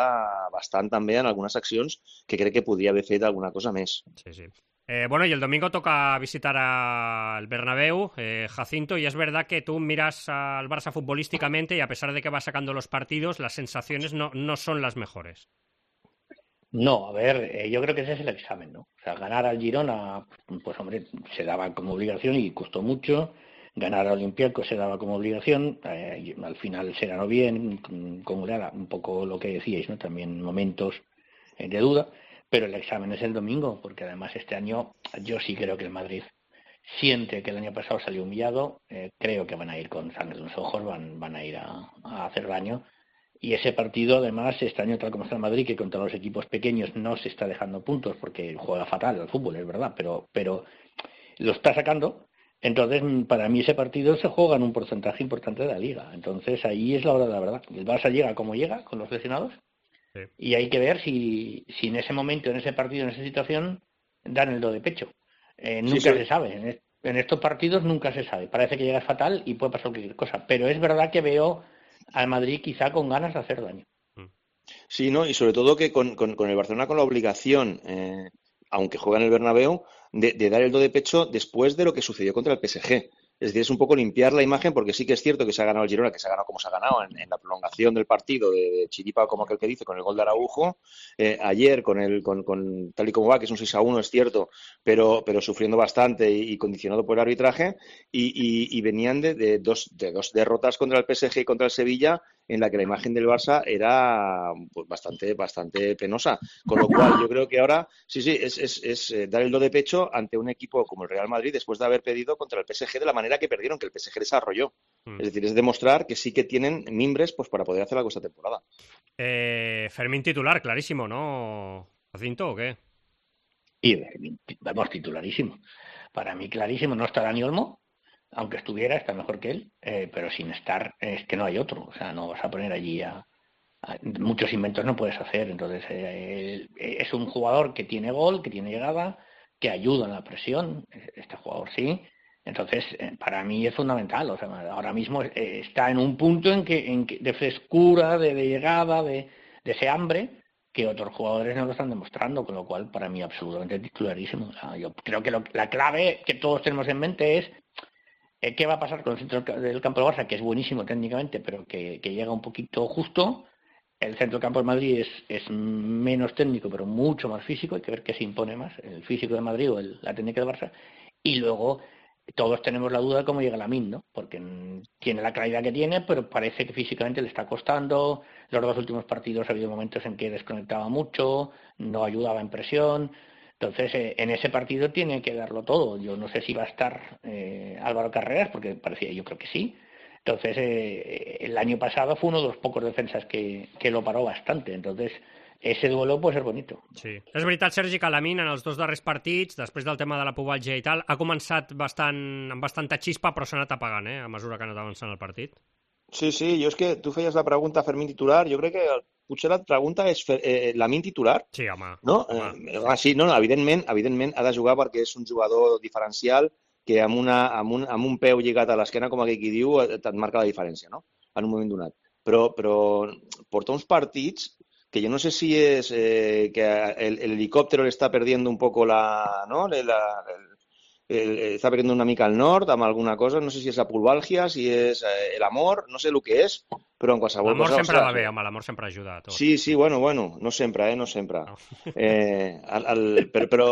bastant també en algunes accions que crec que podria haver fet alguna cosa més. Sí, sí. Eh, bueno, y el domingo toca visitar al Bernabéu, eh, Jacinto, y es verdad que tú miras al Barça futbolísticamente y a pesar de que va sacando los partidos, las sensaciones no, no son las mejores. No, a ver, eh, yo creo que ese es el examen, ¿no? O sea, ganar al Girona, pues hombre, se daba como obligación y costó mucho. Ganar al Olympiacos se daba como obligación, eh, al final se ganó bien, como era un poco lo que decíais, ¿no? También momentos eh, de duda, pero el examen es el domingo, porque además este año yo sí creo que el Madrid siente que el año pasado salió humillado, eh, creo que van a ir con sangre en los ojos, van, van a ir a, a hacer daño, y ese partido además este año tal como está el Madrid, que contra los equipos pequeños no se está dejando puntos porque juega fatal al fútbol, es verdad, pero, pero lo está sacando. Entonces, para mí ese partido se juega en un porcentaje importante de la Liga. Entonces, ahí es la hora de la verdad. El Barça llega como llega, con los lesionados, sí. Y hay que ver si, si en ese momento, en ese partido, en esa situación, dan el do de pecho. Eh, nunca sí, sí. se sabe. En, est- en estos partidos nunca se sabe. Parece que llega fatal y puede pasar cualquier cosa. Pero es verdad que veo al Madrid quizá con ganas de hacer daño. Sí, ¿no? Y sobre todo que con, con, con el Barcelona con la obligación, eh, aunque juega en el Bernabéu, de, de dar el do de pecho después de lo que sucedió contra el P S G. Es decir, es un poco limpiar la imagen, porque sí que es cierto que se ha ganado el Girona, que se ha ganado como se ha ganado en, en la prolongación del partido de, de chiripa, como aquel que dice, con el gol de Araujo. Eh, ayer, con el con, con tal y como va, que es un seis a uno, es cierto, pero, pero sufriendo bastante y, y condicionado por el arbitraje. Y, y, y venían de, de, dos, de dos derrotas contra el P S G y contra el Sevilla, en la que la imagen del Barça era pues, bastante, bastante penosa. Con lo cual, yo creo que ahora, sí, sí, es, es, es dar el do de pecho ante un equipo como el Real Madrid, después de haber perdido contra el P S G de la manera que perdieron, que el P S G desarrolló. Mm. Es decir, es demostrar que sí que tienen mimbres pues, para poder hacer algo esta temporada. Eh, Fermín titular, clarísimo, ¿no, Jacinto, o qué? Sí, vamos, titularísimo. Para mí, clarísimo, no está Dani Olmo. Aunque estuviera, está mejor que él, eh, pero sin estar, es que no hay otro. O sea, no vas a poner allí a... a muchos inventos no puedes hacer. Entonces, eh, es un jugador que tiene gol, que tiene llegada, que ayuda en la presión. Este jugador sí. Entonces, eh, para mí es fundamental. O sea, ahora mismo eh, está en un punto en que, en que de frescura, de, de llegada, de, de ese hambre, que otros jugadores no lo están demostrando, con lo cual, para mí, absolutamente titularísimo. O sea, yo creo que lo, la clave que todos tenemos en mente es ¿qué va a pasar con el centro del campo del Barça? Que es buenísimo técnicamente, pero que, que llega un poquito justo. El centro del campo del Madrid es, es menos técnico, pero mucho más físico. Hay que ver qué se impone más, el físico de Madrid o el, la técnica del Barça. Y luego todos tenemos la duda de cómo llega Lamine, ¿no? Porque tiene la calidad que tiene, pero parece que físicamente le está costando. Los dos últimos partidos ha habido momentos en que desconectaba mucho, no ayudaba en presión. Entonces, eh, en ese partido tiene que darlo todo. Yo no sé si va a estar eh, Álvaro Carreras, porque parecía, yo creo que sí. Entonces, eh, el año pasado fue uno de los pocos defensas que, que lo paró bastante. Entonces, ese duelo puede ser bonito. Sí. És veritat, Sergi, que Lamine en els dos darrers partits, després del tema de la pubalgia i tal, ha començat bastant, amb bastanta xispa, però s'ha anat apagant, eh, a mesura que ha anat avançant el partit. Sí, sí, jo és que tu feies la pregunta Fermín titular, jo crec que potser la pregunta és eh, Lamine titular? Sí, home. No? home. Eh, ah, sí, no, no, evidentment, evidentment ha de jugar perquè és un jugador diferencial que amb, una, amb, un, amb un peu lligat a l'esquena, com aquell qui diu, et marca la diferència, no? En un moment donat. Però, però porta uns partits que yo no sé si es eh, que el, el helicóptero le está perdiendo un poco la... ¿no? La, el, el, está perdiendo una mica al nord amb alguna cosa, no sé si és la pulvàlgia, si és eh, el amor, no sé el que és, però en qualsevol cosa... L'amor sempre o sea, va bé, home, l'amor sempre ajuda a tot. Sí, sí, bueno, bueno, no sempre, eh, no sempre. No. Eh, el, el, però, però,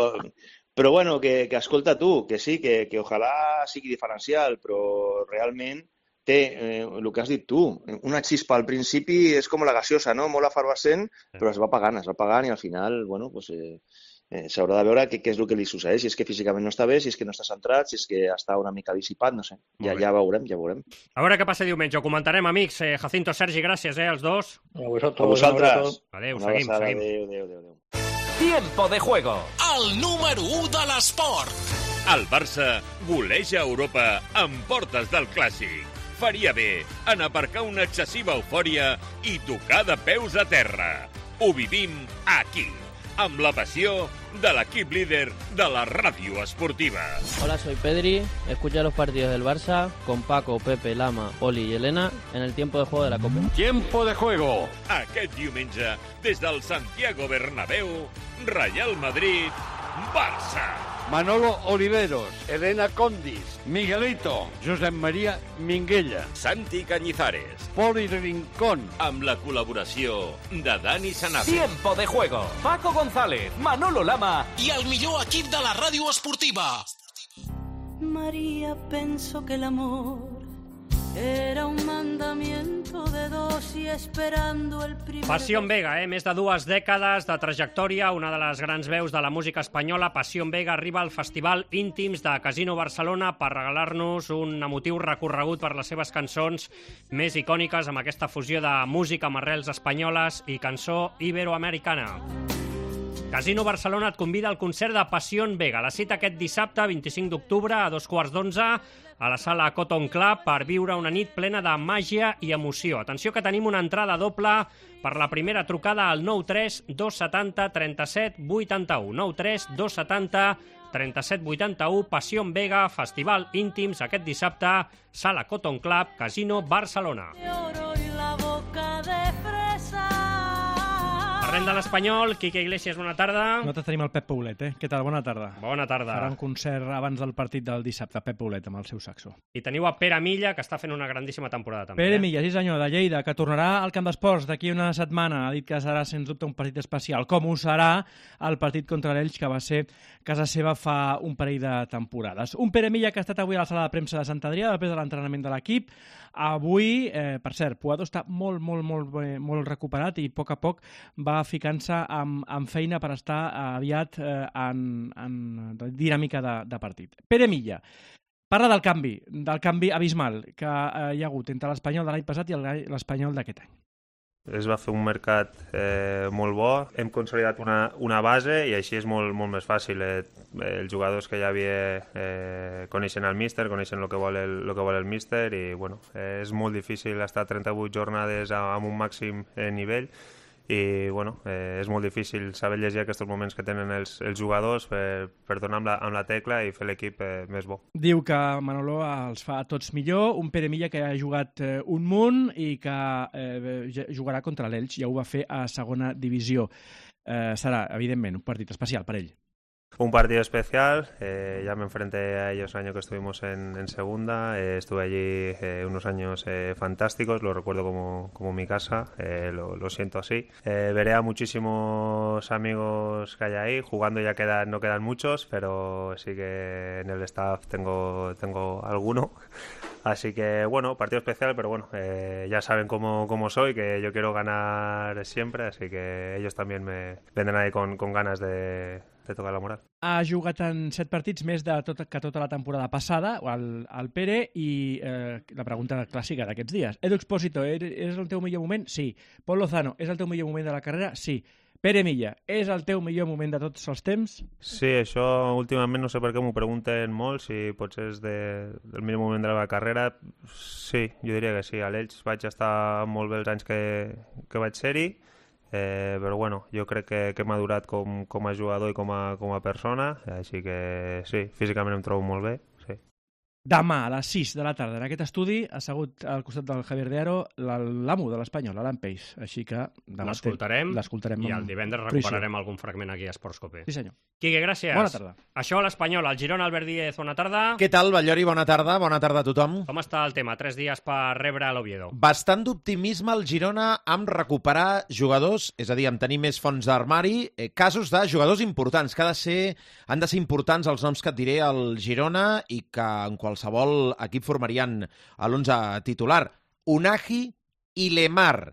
però bueno, que, que escolta tu, que sí, que, que ojalà sigui diferencial, però realment té eh, el que has dit tu, una xispa al principi és com la gaseosa, no? Molt efervescent, però es va apagant, es va apagant i al final, bueno, pues, eh, eh, s'haurà de veure què, què és el que li succeeix, si és que físicament no està bé, si és que no està centrat, si és que està una mica dissipat, no sé. Ja, ja veurem, ja veurem. A veure què passa diumenge, ho comentarem, amics. Eh, Jacinto, Sergi, gràcies, eh, els dos. A vosaltres. A vosaltres. Adéu, seguim, seguim. Adéu, adéu, adéu. Tiempo de juego. El número u de l'esport. El Barça goleja Europa amb portes del Clàssic. Faria bé en aparcar una excessiva eufòria i tocar de peus a terra. Ho vivim aquí, amb la passió de l'equip líder de la ràdio esportiva. Hola, soy Pedri. Escucha los partidos del Barça con Paco, Pepe, Lama, Oli y Elena en el tiempo de juego de la Copa. Tiempo de juego. Aquest diumenge, des del Santiago Bernabéu, Real Madrid, Barça. Manolo Oliveros, Elena Condis, Miguelito, Josep María Minguella, Santi Cañizares, Poli Rincón, amb la col·laboració de Dani Sanabria. Tiempo de juego. Paco González, Manolo Lama i el millor equip de la ràdio esportiva. María pensó que el amor era un mandamiento de dos y esperando el primer... Passió Vega, eh? Més de dues dècades de trajectòria, una de les grans veus de la música espanyola. Passió Vega arriba al Festival Íntims de Casino Barcelona per regalar-nos un emotiu recorregut per les seves cançons més icòniques, amb aquesta fusió de música amb arrels espanyoles i cançó iberoamericana. Casino Barcelona et convida al concert de Passió Vega. La cita aquest dissabte, vint-i-cinc d'octubre, a dos quarts d'onze, a la sala Cotton Club, per viure una nit plena de màgia i emoció. Atenció que tenim una entrada doble per la primera trucada al nou tres dos setanta trenta-set vuitanta-u. nou tres dos setanta trenta-set vuitanta-u. Passió Vega, Festival Íntims, aquest dissabte, sala Cotton Club, Casino Barcelona. La boca de fresa. Per Parlem de l'Espanyol. Quique Iglesias, bona tarda. Nosaltres tenim el Pep Paulet, eh? Què tal? Bona tarda. Bona tarda. Farà un concert abans del partit del dissabte, Pep Paulet, amb el seu saxo. I teniu a Pere Milla, que està fent una grandíssima temporada també. Pere eh? Milla, sí senyor, de Lleida, que tornarà al Camp d'Esports d'aquí una setmana. Ha dit que serà, sens dubte, un partit especial, com ho serà el partit contra l'Elx, que va ser casa seva fa un parell de temporades. Un Pere Milla que ha estat avui a la sala de premsa de Sant Adrià, després de l'entrenament de l'equip. Avui, eh, per cert, Puado està molt, molt, molt, molt recuperat i a poc a poc va ficant-se amb, amb feina per estar aviat eh, en, en dinàmica de, de partit. Pere Milla parla del canvi, del canvi abismal que eh, hi ha hagut entre l'Espanyol de l'any passat i l'Espanyol d'aquest any. Es va fer un mercat eh, molt bo, hem consolidat una, una base i així és molt, molt més fàcil. Eh, els jugadors que ja havia eh, coneixen el míster, coneixen el que vol el, el que vol el míster i bueno, eh, és molt difícil estar trenta-vuit jornades amb un màxim eh, nivell i bueno, eh, és molt difícil saber llegir aquests moments que tenen els, els jugadors per, per donar amb la, amb la tecla i fer l'equip eh, més bo. Diu que Manolo els fa a tots millor, un Pere Milla que ha jugat eh, un munt i que eh, jugarà contra l'Elx, ja ho va fer a segona divisió. Eh, serà, evidentment, un partit especial per ell. Un partido especial, eh, ya me enfrenté a ellos el año que estuvimos en, en segunda, eh, estuve allí eh, unos años eh, fantásticos, lo recuerdo como, como mi casa, eh, lo, lo siento así. Eh, veré a muchísimos amigos que hay ahí, jugando ya quedan, no quedan muchos, pero sí que en el staff tengo, tengo alguno. Así que, bueno, partido especial, pero bueno, eh, ya saben cómo, cómo soy, que yo quiero ganar siempre, así que ellos también me vendrán ahí con, con ganas de, de tocar la moral. Ha jugat en set partits més de tot, que tota la temporada passada, el, el Pere, i eh, la pregunta clàssica d'aquests dies. Edu Expósito, és el teu millor moment? Sí. Pol Lozano, és el teu millor moment de la carrera? Sí. Pere Milla, és el teu millor moment de tots els temps? Sí, això últimament no sé per què m'ho pregunten molt, si potser és de, del millor moment de la meva carrera. Sí, jo diria que sí. A l'Elx vaig estar molt bé els anys que, que vaig ser-hi, eh, però bueno, jo crec que, que he madurat com, com a jugador i com a, com a persona, així que sí, físicament em trobo molt bé. Sí. Demà, a les sis de la tarda, en aquest estudi, ha assegut al costat del Javier de Aro l'amo de l'Espanyol, l'Alan Peix. Així que l'escoltarem i el divendres recuperarem algun fragment aquí a Esports Cope. Sí, senyor. Quique, gràcies. Bona tarda. Això a l'Espanyol, el Girona, Albert Díez, bona tarda. Què tal, Ballori? Bona tarda. Bona tarda a tothom. Com està el tema? Tres dies per rebre l'Oviedo. Bastant d'optimisme al Girona amb recuperar jugadors, és a dir, amb tenir més fons d'armari, eh, casos de jugadors importants, que ha de ser, han de ser importants els noms que et diré al Girona i que en qualsevol equip formarien a l'onze titular. Unagi i Lemar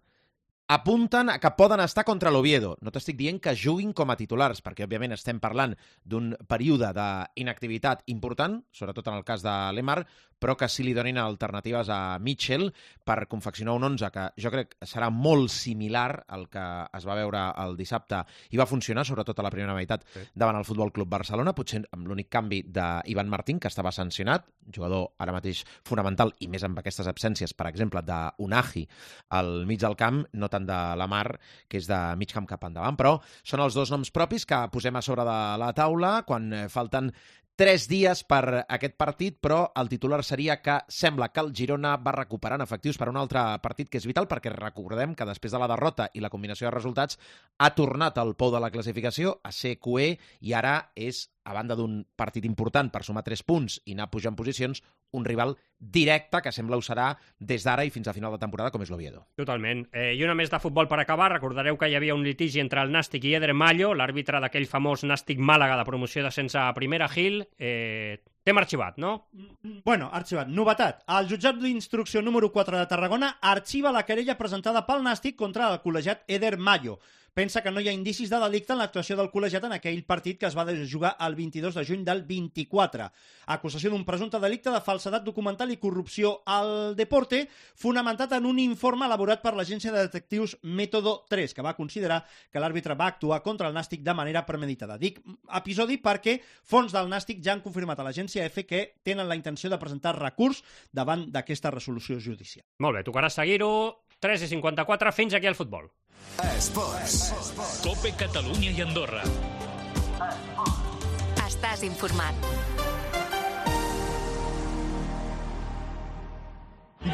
apunten a que poden estar contra l'Oviedo. No t'estic dient que juguin com a titulars, perquè òbviament estem parlant d'un període d'inactivitat important, sobretot en el cas de Lemar, però que sí li donin alternatives a Mitchell per confeccionar un onze que jo crec que serà molt similar al que es va veure el dissabte i va funcionar, sobretot a la primera meitat, sí, davant el Futbol Club Barcelona, potser amb l'únic canvi d'Ivan Martín, que estava sancionat, jugador ara mateix fonamental, i més amb aquestes absències, per exemple, d'Unagi al mig del camp, no tant de Lemar, que és de mig camp cap endavant, però són els dos noms propis que posem a sobre de la taula quan falten tres dies per aquest partit, però el titular seria que sembla que el Girona va recuperant efectius per un altre partit que és vital, perquè recordem que després de la derrota i la combinació de resultats ha tornat al pou de la classificació a ser cuer i ara és, a banda d'un partit important per sumar tres punts i anar pujant posicions, un rival directe que sembla ho serà des d'ara i fins a final de temporada, com és l'Oviedo. Totalment. Eh, I una més de futbol per acabar. Recordareu que hi havia un litigi entre el Nàstic i Eder Mallo, l'àrbitre d'aquell famós Nàstic Màlaga de promoció de sense a primera, Gil. Eh, T'hem arxivat, no? Bueno, arxivat. Novetat. El jutjat d'instrucció número quatre de Tarragona arxiva la querella presentada pel Nàstic contra el col·legiat Eder Mallo. Pensa que no hi ha indicis de delicte en l'actuació del col·legiat en aquell partit que es va jugar el vint-i-dos de juny del vint-i-quatre. Acusació d'un presumpte delicte de falsedat documental i corrupció al deporte, fonamentat en un informe elaborat per l'agència de detectius Método tres, que va considerar que l'àrbitre va actuar contra el Nàstic de manera premeditada. Dic episodi perquè fons del Nàstic ja han confirmat a l'agència F que tenen la intenció de presentar recurs davant d'aquesta resolució judicial. Molt bé, tocarà seguir-ho. tres i cinquanta-quatre, fins aquí el futbol. Esports. Cope Catalunya i Andorra. Estàs informat.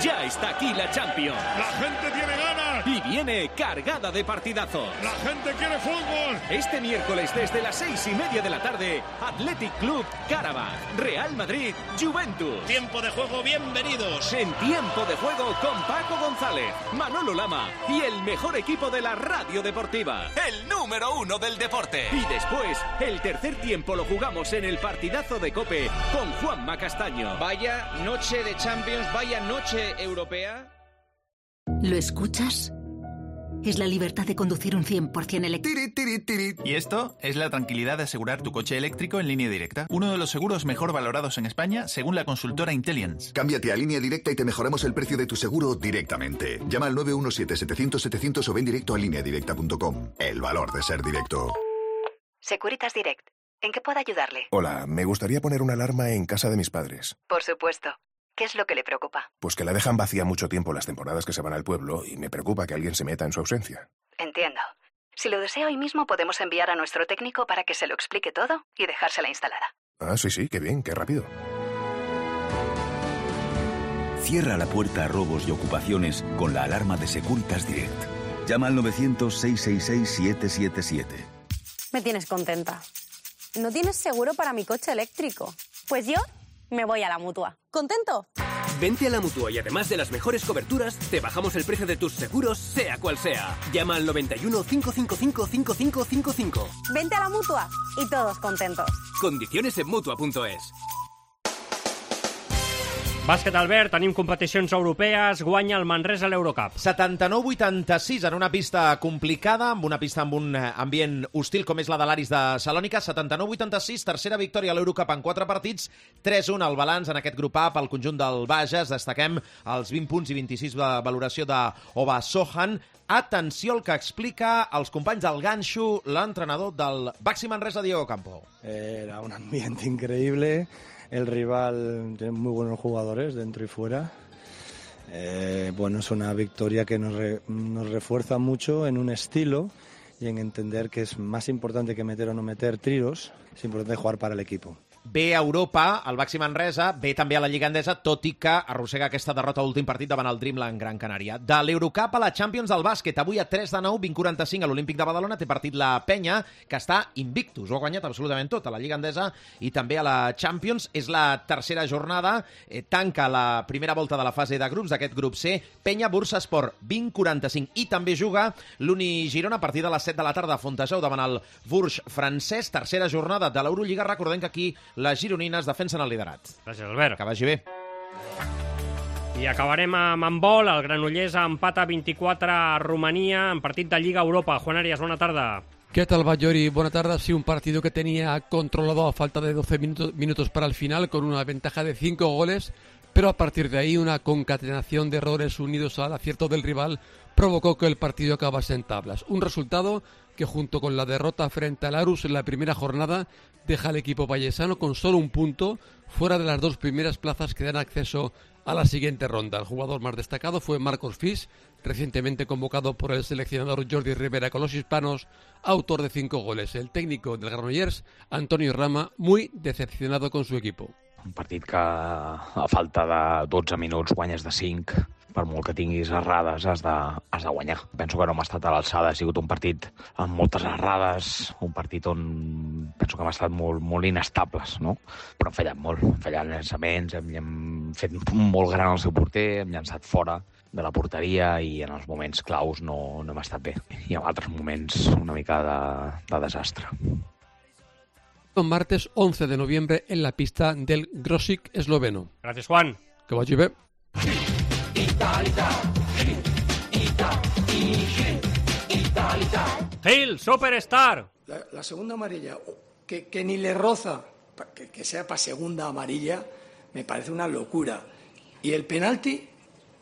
Ya está aquí la Champions. La gente tiene ganas. Y viene cargada de partidazos. La gente quiere fútbol. Este miércoles desde las seis y media de la tarde, Athletic Club Karabakh, Real Madrid, Juventus. Tiempo de juego, bienvenidos. En Tiempo de Juego con Paco González, Manolo Lama y el mejor equipo de la radio deportiva. El número uno del deporte. Y después, el tercer tiempo lo jugamos en el partidazo de COPE con Juanma Castaño. Vaya noche de Champions, vaya noche europea. ¿Lo escuchas? Es la libertad de conducir un cien por ciento eléctrico. Y esto es la tranquilidad de asegurar tu coche eléctrico en Línea Directa. Uno de los seguros mejor valorados en España, según la consultora Intelliance. Cámbiate a Línea Directa y te mejoramos el precio de tu seguro directamente. Llama al nueve uno siete, setecientos, setecientos o ven directo a línea directa punto com. El valor de ser directo. Securitas Direct. ¿En qué puedo ayudarle? Hola, me gustaría poner una alarma en casa de mis padres. Por supuesto. ¿Qué es lo que le preocupa? Pues que la dejan vacía mucho tiempo las temporadas que se van al pueblo y me preocupa que alguien se meta en su ausencia. Entiendo. Si lo desea hoy mismo podemos enviar a nuestro técnico para que se lo explique todo y dejársela instalada. Ah, sí, sí, qué bien, qué rápido. Cierra la puerta a robos y ocupaciones con la alarma de Securitas Direct. Llama al novecientos, seiscientos sesenta y seis, siete siete siete. Me tienes contenta. ¿No tienes seguro para mi coche eléctrico? Pues yo me voy a la Mutua. ¿Contento? Vente a la Mutua y además de las mejores coberturas, te bajamos el precio de tus seguros, sea cual sea. Llama al noventa y uno, cinco cinco cinco, cinco cinco cinco cinco. Vente a la Mutua y todos contentos. Condiciones en Mutua punto es. Bàsquet, Albert, tenim competicions europees, guanya el Manresa a l'Eurocup. setanta-nou vuitanta-sis en una pista complicada, amb una pista amb un ambient hostil com és la de l'Aris de Salònica. setanta-nou vuitanta-sis, tercera victòria a l'Eurocup en quatre partits, tres un al balanç en aquest grup A pel conjunt del Bages. Destaquem els vint punts i vint-i-sis de valoració d'Ova Sohan. Atenció al que explica als companys del ganxo l'entrenador del Baxi Manresa, Diego Campo. Era un ambiente increíble. El rival tiene muy buenos jugadores dentro y fuera. Eh, bueno, es una victoria que nos, re, nos refuerza mucho en un estilo y en entender que es más importante que meter o no meter tiros, es importante jugar para el equipo. Ve a Europa, al Baxi Manresa, ve també a la Lliga Endesa, tot i que arrossega aquesta derrota a l'últim partit davant el Dreamland Gran Canària. De l'Eurocup a la Champions del bàsquet, avui a tres de nou, vint quaranta-cinc a l'Olímpic de Badalona, té partit la Penya, que està invictus, ho ha guanyat absolutament tot, a la Lliga Endesa i també a la Champions. És la tercera jornada, eh, tanca la primera volta de la fase de grups d'aquest grup C, Penya Bursaspor, vint quaranta-cinc, i també juga l'Uni Girona a partir de les set de la tarda a Fontejau davant el Bourges francès, tercera jornada de l'Eurolliga. Recordem que aquí les gironines defensen el liderat. Gràcies, Albert. Que vagi bé. I acabarem amb handbol. El Granollers empata vint-i-quatre a Romania en partit de Lliga Europa. Juan Arias, bona tarda. ¿Qué tal, Bayori? Buena tarde. Sí, un partido que tenía controlado a falta de doce minutos, minutos para el final, con una ventaja de cinco goles, pero a partir de ahí una concatenación de errores unidos al acierto del rival provocó que el partido acabase en tablas. Un resultado que, junto con la derrota frente al Arus en la primera jornada, deja al equipo vallesano con solo un punto fuera de las dos primeras plazas que dan acceso a la siguiente ronda. El jugador más destacado fue Marcos Fis, recientemente convocado por el seleccionador Jordi Rivera con los hispanos, autor de cinco goles. El técnico del Granollers, Antonio Rama, muy decepcionado con su equipo. Un partit que a falta de dotze minuts guanyes de cinc, per molt que tinguis errades has de, has de guanyar. Penso que no hem estat a l'alçada, ha sigut un partit amb moltes errades, un partit on penso que hem estat molt, molt inestables, no? Però hem fallat molt, hem fallat llançaments, hem, hem fet molt gran el seu porter, hem llançat fora de la porteria i en els moments claus no, no hem estat bé. I en altres moments una mica de, de desastre. Martes once de noviembre en la pista del Grosik esloveno. Gracias, Juan. Que vagi bé. Gil, Superstar. La, la segunda amarilla, que, que ni le roza, que, que sea para segunda amarilla, me parece una locura. Y el penalti,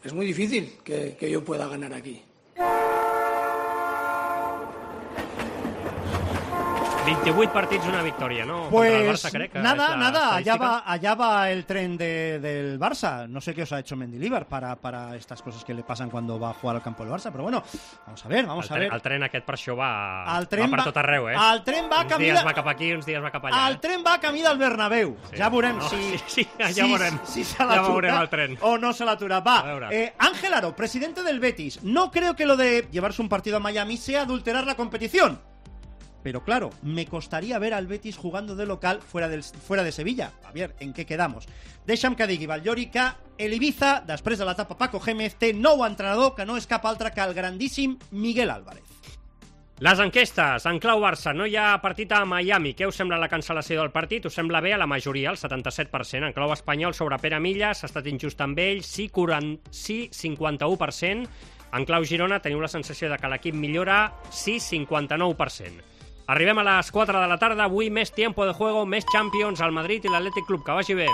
es muy difícil que, que yo pueda ganar aquí. vint-i-vuit partits, una victòria, ¿no? Pues Contra el Barça, crec que nada, es la nada, allá estadística. va, allá va el tren de, del Barça. No sé qué os ha hecho Mendilibar para, para estas cosas que le pasan cuando va a jugar al campo del Barça, pero bueno, vamos a ver, vamos el a tren, ver. El tren aquest per això va, el tren va per va, tot arreu, eh? El tren va uns camí dies de... va cap aquí, uns dies va cap allà. El eh? tren va camí del Bernabéu. Sí. Ja veurem No, si... sí, sí, ja si, veurem. Si se Ja l'atura veurem el tren. o no se l'atura. Va, eh, Ángel Aro, presidente del Betis. No creo que lo de llevarse un partido a Miami sea adulterar la competición. Pero claro, me costaría ver al Betis jugando de local fuera, del, fuera de Sevilla. A ver, ¿en qué quedamos? Deixa'm que digui, Vallori, que el Ibiza, després de l'etapa Paco Gémez, té nou entrenador que no és cap altre que el grandíssim Miguel Álvarez. Les enquestes, en clau Barça, no hi ha partit a Miami. Què us sembla la cancel·lació del partit? Us sembla bé a la majoria, el setanta-set per cent. En clau espanyol, sobre Pere Millas, ha estat injust amb ell, sí, quaranta, sí cinquanta-u per cent. En clau Girona, teniu la sensació de que l'equip millora, sí, cinquanta-nou per cent. Arribem a les quatre de la tarda, avui més tiempo de juego, més Champions, al Madrid i l'Atlètic Club. Que vagi bé.